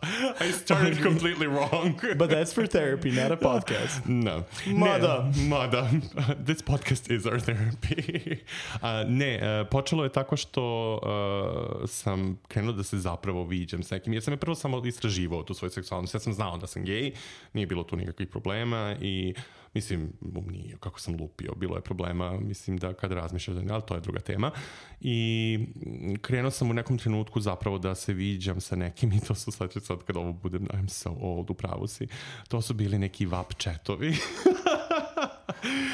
S2: I started completely wrong.
S1: But that's for therapy, not a podcast.
S2: No.
S1: Mada.
S2: Ne, mada. This podcast is our therapy. Uh, ne, uh, počelo je tako što uh, sam krenuo da se zapravo viđam s nekim. Ja sam je prvo samo istraživao tu svoju seksualnost. Ja sam znao da sam gej, nije bilo tu nikakvih problema i mislim, nije, kako sam lupio, bilo je problema, mislim da kad razmišljaš, ali to je druga tema. I krenuo sam u nekom trenutku zapravo da se viđam sa nekim i to su sledeće sad kad ovo budem, I'm so old, upravo si, to su bili neki vap chatovi.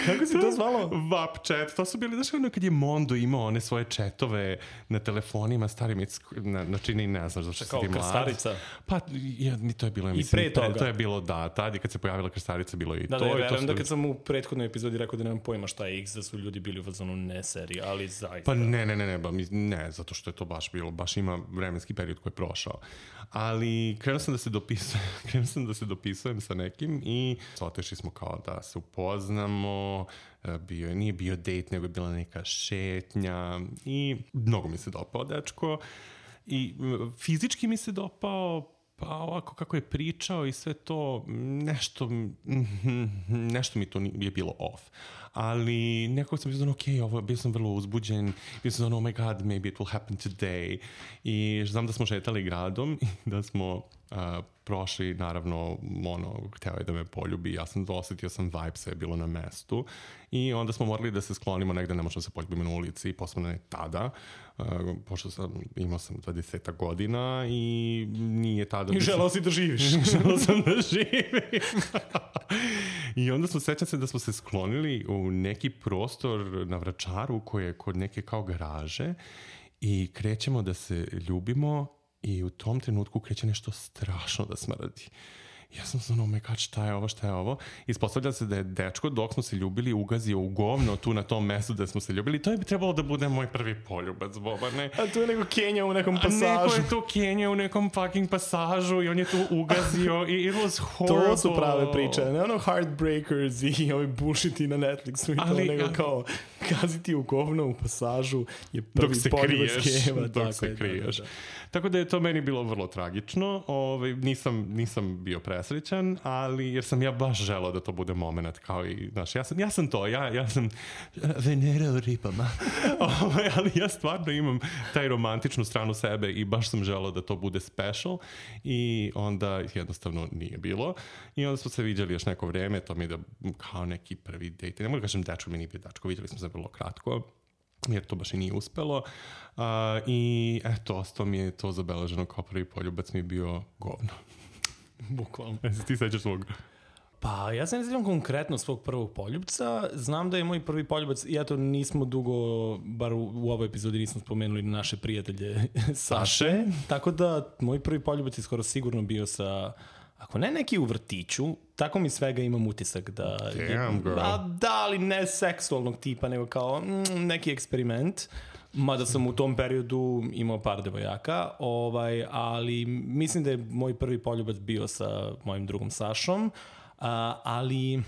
S1: Kako si to zvalo?
S2: Vap chat. To su bili, znaš, ono kad je Mondo imao one svoje chatove na telefonima starim, na, na čini ne znaš, zašto si ti mlad.
S1: Kao krstarica.
S2: Pa, ja, to je bilo, ja
S1: I
S2: mislim,
S1: pre toga.
S2: To je bilo, da, tad i kad se pojavila krstarica, bilo i
S1: da,
S2: to.
S1: Da, ja
S2: verujem
S1: da kad sam u prethodnoj epizodi rekao da nemam pojma šta je X, da su ljudi bili u fazonu ne seriji, ali zaista.
S2: Pa ne, ne, ne, ne, ba, ne, zato što je to baš bilo, baš ima vremenski period koji je prošao. Ali krenuo sam da se dopisujem, krenuo sam da se dopisujem sa nekim i otešli smo kao da se upoznamo, bio, nije bio date, nego je bila neka šetnja i mnogo mi se dopao dečko i fizički mi se dopao, pa ovako kako je pričao i sve to, nešto, nešto mi to je bilo off. Ali nekako sam bio znači, ok, ovo, bio sam vrlo uzbuđen, bio sam znači, oh my god, maybe it will happen today. I znam da smo šetali gradom i da smo uh, prošli, naravno, ono, hteo je da me poljubi, ja sam osetio sam vibe, sve je bilo na mestu. I onda smo morali da se sklonimo negde, ne možemo se poljubimo na ulici, posebno ne tada, uh, pošto sam, imao sam dvadeset godina i nije tada...
S1: I želao si da živiš.
S2: Želao sam da živim. I onda smo, sećam se da smo se sklonili u neki prostor na Vračaru koji je kod neke kao garaže i krećemo da se ljubimo i u tom trenutku kreće nešto strašno da smrdi. Ja sam znao, oh my god, šta je ovo, šta je ovo? Ispostavlja se da je dečko, dok smo se ljubili, ugazio u govno tu na tom mestu da smo se ljubili. To je bi trebalo da bude moj prvi poljubac, Bobane.
S1: A tu je neko Kenja u nekom pasažu.
S2: A neko je tu Kenja u nekom fucking pasažu i on je tu ugazio i it was horrible.
S1: To su prave priče. Ne ono Heartbreakers i ovi bullshiti na Netflixu i ali, to, nego kao kaziti u govno u pasažu je prvi poljubac Keva.
S2: Dok se kriješ. Da, da, da. Tako da je to meni bilo vrlo tragično. Ove, nisam, nisam bio presrećan, ali jer sam ja baš želao da to bude moment kao i, znaš, ja sam, ja sam to, ja, ja sam Venera u ripama. Ove, ali ja stvarno imam taj romantičnu stranu sebe i baš sam želao da to bude special i onda jednostavno nije bilo. I onda smo se viđali još neko vreme, to mi je da kao neki prvi date. Ne mogu da kažem dečko, mi nije bio dečko, viđali smo se vrlo kratko, jer to baš i nije uspelo. Uh, I eto, ostao mi je to zabeleženo kao prvi poljubac mi je bio govno.
S1: Bukvalno.
S2: E, ti sećaš svog?
S1: Pa, ja se ne sjećam konkretno svog prvog poljubca. Znam da je moj prvi poljubac, i eto, nismo dugo, bar u, u ovoj epizodi nismo spomenuli naše prijatelje Saše. Tako da, moj prvi poljubac je skoro sigurno bio sa, ako ne neki u vrtiću, tako mi svega imam utisak da...
S2: Damn, girl.
S1: A, da, ali ne seksualnog tipa, nego kao mm, neki eksperiment. Mada sam u tom periodu imao par devojaka, ovaj, ali mislim da je moj prvi poljubac bio sa mojim drugom Sašom, a, ali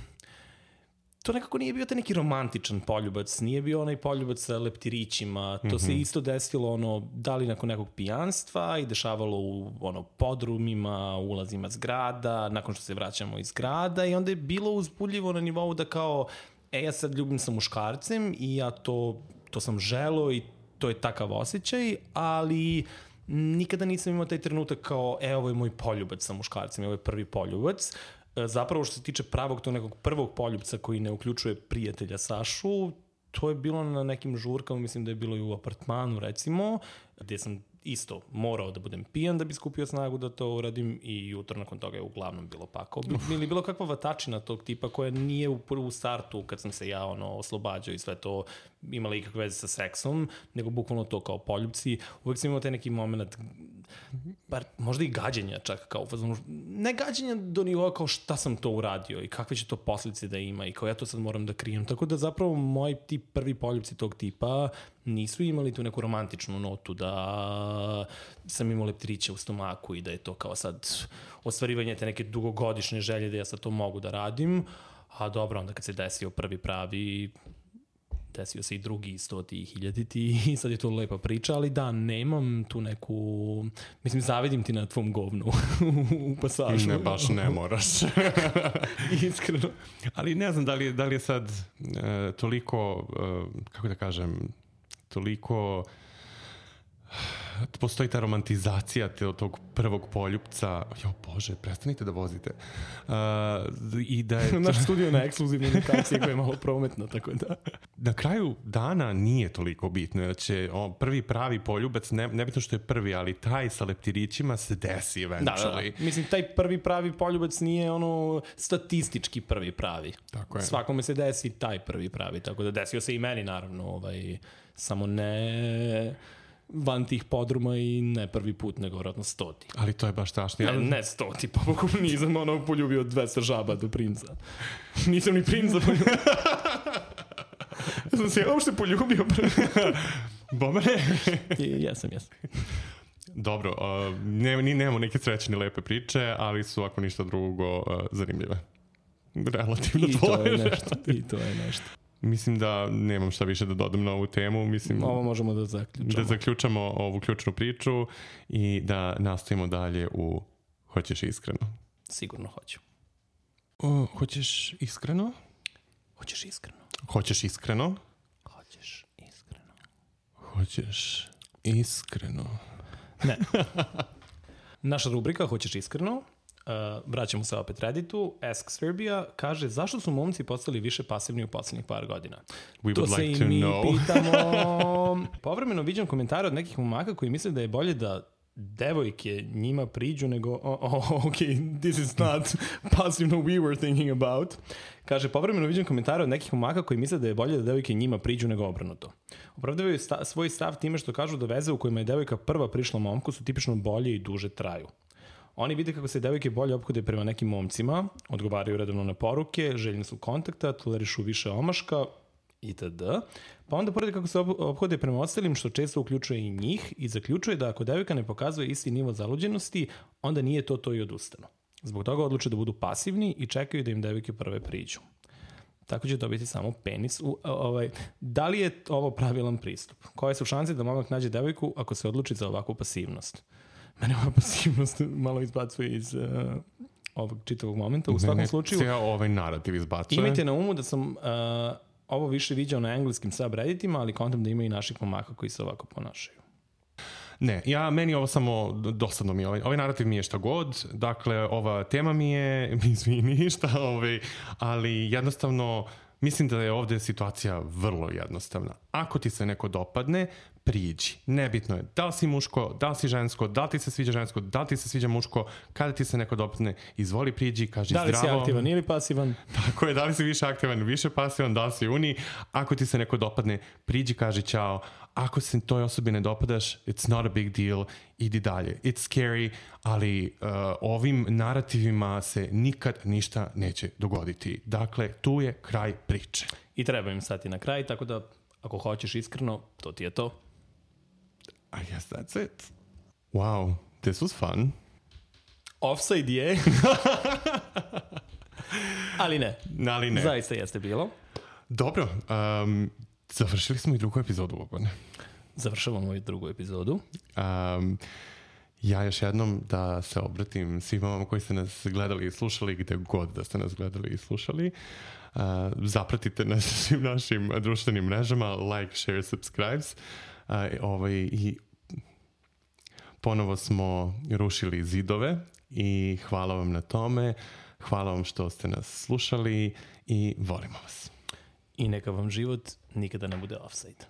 S1: to nekako nije bio taj neki romantičan poljubac, nije bio onaj poljubac sa leptirićima, to mm-hmm. se isto desilo ono, da li nakon nekog pijanstva i dešavalo u ono, podrumima, ulazima zgrada, nakon što se vraćamo iz grada i onda je bilo uzbudljivo na nivou da kao, e ja sad ljubim sa muškarcem i ja to, to sam želeo i to je takav osjećaj, ali nikada nisam imao taj trenutak kao, e, ovo je moj poljubac sa muškarcem, ovo je prvi poljubac. Zapravo što se tiče pravog tog nekog prvog poljubca koji ne uključuje prijatelja Sašu, to je bilo na nekim žurkama, mislim da je bilo i u apartmanu recimo, gdje sam isto morao da budem pijan da bi skupio snagu da to uradim i jutro nakon toga je uglavnom bilo pakao. Ili bilo kakva vatačina tog tipa koja nije u prvu startu kad sam se ja ono oslobađao i sve to imala ikakve veze sa seksom, nego bukvalno to kao poljubci. Uvijek sam imao taj neki moment, bar možda i gađenja čak kao fazonu, ne gađenja do nivoa kao šta sam to uradio i kakve će to posljedice da ima i kao ja to sad moram da krijem. Tako da zapravo moji ti prvi poljubci tog tipa nisu imali tu neku romantičnu notu da sam imao leptiriće u stomaku i da je to kao sad ostvarivanje te neke dugogodišnje želje da ja sad to mogu da radim. A dobro, onda kad se desio prvi pravi, desio se i drugi stoti hiljaditi i sad je to lepa priča, ali da, nemam tu neku, mislim, zavidim ti na tvom govnu u pasažu.
S2: Ne, baš ne moraš.
S1: Iskreno.
S2: Ali ne znam da li je, da li je sad e, toliko, e, kako da kažem, toliko postoji ta romantizacija te, tog prvog poljupca. Jo, Bože, prestanite da vozite. Uh, i da je...
S1: Naš studio na ekskluzivnoj lokaciji koja je malo prometna, tako da...
S2: Na kraju dana nije toliko bitno, jer će o, prvi pravi poljubac, ne, nebitno što je prvi, ali taj sa leptirićima se desi eventually.
S1: Da, da, da. Mislim, taj prvi pravi poljubac nije ono statistički prvi pravi.
S2: Tako je.
S1: Svakome se desi taj prvi pravi, tako da desio se i meni, naravno, ovaj, samo ne van tih podruma i ne prvi put, nego vratno stoti.
S2: Ali to je baš strašno.
S1: Ne, ne stoti, pa Bogu nisam ono poljubio dvesta žaba do princa. Nisam ni princa poljubio. Ja sam se ja uopšte poljubio.
S2: Bomane?
S1: Jesam, jesam.
S2: Dobro, uh, ne, ni, nemamo neke srećne lepe priče, ali su ako ništa drugo uh, zanimljive. Relativno
S1: I
S2: tvoje.
S1: To je nešto. I to je nešto.
S2: Mislim da nemam šta više da dodam na ovu temu. Mislim,
S1: ovo možemo da zaključamo.
S2: Da zaključamo ovu ključnu priču i da nastavimo dalje u Hoćeš iskreno?
S1: Sigurno hoću.
S2: O, hoćeš iskreno?
S1: Hoćeš iskreno?
S2: Hoćeš iskreno?
S1: Hoćeš iskreno?
S2: Hoćeš iskreno?
S1: Ne. Naša rubrika Hoćeš iskreno? Uh, vraćamo se opet Redditu. Ask Serbia kaže zašto su momci postali više pasivni u poslednjih par godina.
S2: We
S1: to
S2: would
S1: se
S2: like
S1: i
S2: to
S1: mi
S2: know.
S1: pitamo. Povremeno viđam komentare od nekih momaka koji misle da je bolje da devojke njima priđu nego oh, oh, ok, this is not pasivno we were thinking about. Kaže, povremeno viđam komentare od nekih momaka koji misle da je bolje da devojke njima priđu nego obrnuto. Opravdavaju sta- svoj stav time što kažu da veze u kojima je devojka prva prišla momku su tipično bolje i duže traju. Oni vide kako se devojke bolje ophode prema nekim momcima, odgovaraju redovno na poruke, željni su kontakta, tolerišu više omaška itd. Pa onda pored kako se ophode prema ostalim, što često uključuje i njih, i zaključuje da ako devojka ne pokazuje isti nivo zaluđenosti, onda nije to to i odustanu. Zbog toga odluče da budu pasivni i čekaju da im devojke prve priđu. Tako će dobiti samo penis. U, ovaj, da li je ovo pravilan pristup? Koje su šanse da momak nađe devojku ako se odluči za ovakvu pasivnost? Mene ova pasivnost malo izbacuje iz uh, ovog čitavog momenta. U svakom
S2: ne,
S1: slučaju...
S2: Cijel ovaj narativ izbacuje.
S1: Imajte na umu da sam uh, ovo više viđao na engleskim subredditima, ali kontam da ima i naših momaka koji se ovako ponašaju.
S2: Ne, ja, meni ovo samo, dosadno mi je, ovaj, ovaj narativ mi je šta god, dakle, ova tema mi je, izvini, šta, ovaj, ali jednostavno, mislim da je ovdje situacija vrlo jednostavna. Ako ti se neko dopadne, priđi. Nebitno je da li si muško, da li si žensko, da li ti se sviđa žensko, da li ti se sviđa muško, kada ti se neko dopadne, izvoli priđi, kaži zdravo.
S1: Da li zdravo. Si aktivan ili pasivan?
S2: Tako je, da li si više aktivan, više pasivan, da li si uni. Ako ti se neko dopadne, priđi, kaži ćao. Ako se toj osobi ne dopadaš, it's not a big deal, idi dalje. It's scary, ali uh, ovim narativima se nikad ništa neće dogoditi. Dakle, tu je kraj priče.
S1: I treba im stati na kraj, tako da ako hoćeš iskreno, to ti je to.
S2: I guess that's it. Wow, this was fun.
S1: Offside je. Ali ne.
S2: Ali ne.
S1: Zaista jeste bilo.
S2: Dobro, um, završili smo i drugu epizodu, Bobane.
S1: Završavamo i drugu epizodu.
S2: Um, ja još jednom da se obratim svima vama koji ste nas gledali i slušali, gde god da ste nas gledali i slušali. Uh, zapratite nas svim našim društvenim mrežama, like, share, subscribes. Uh, ovaj, i ponovo smo rušili zidove i hvala vam na tome. Hvala vam što ste nas slušali i volimo vas.
S1: I neka vam život nikada ne bude offside.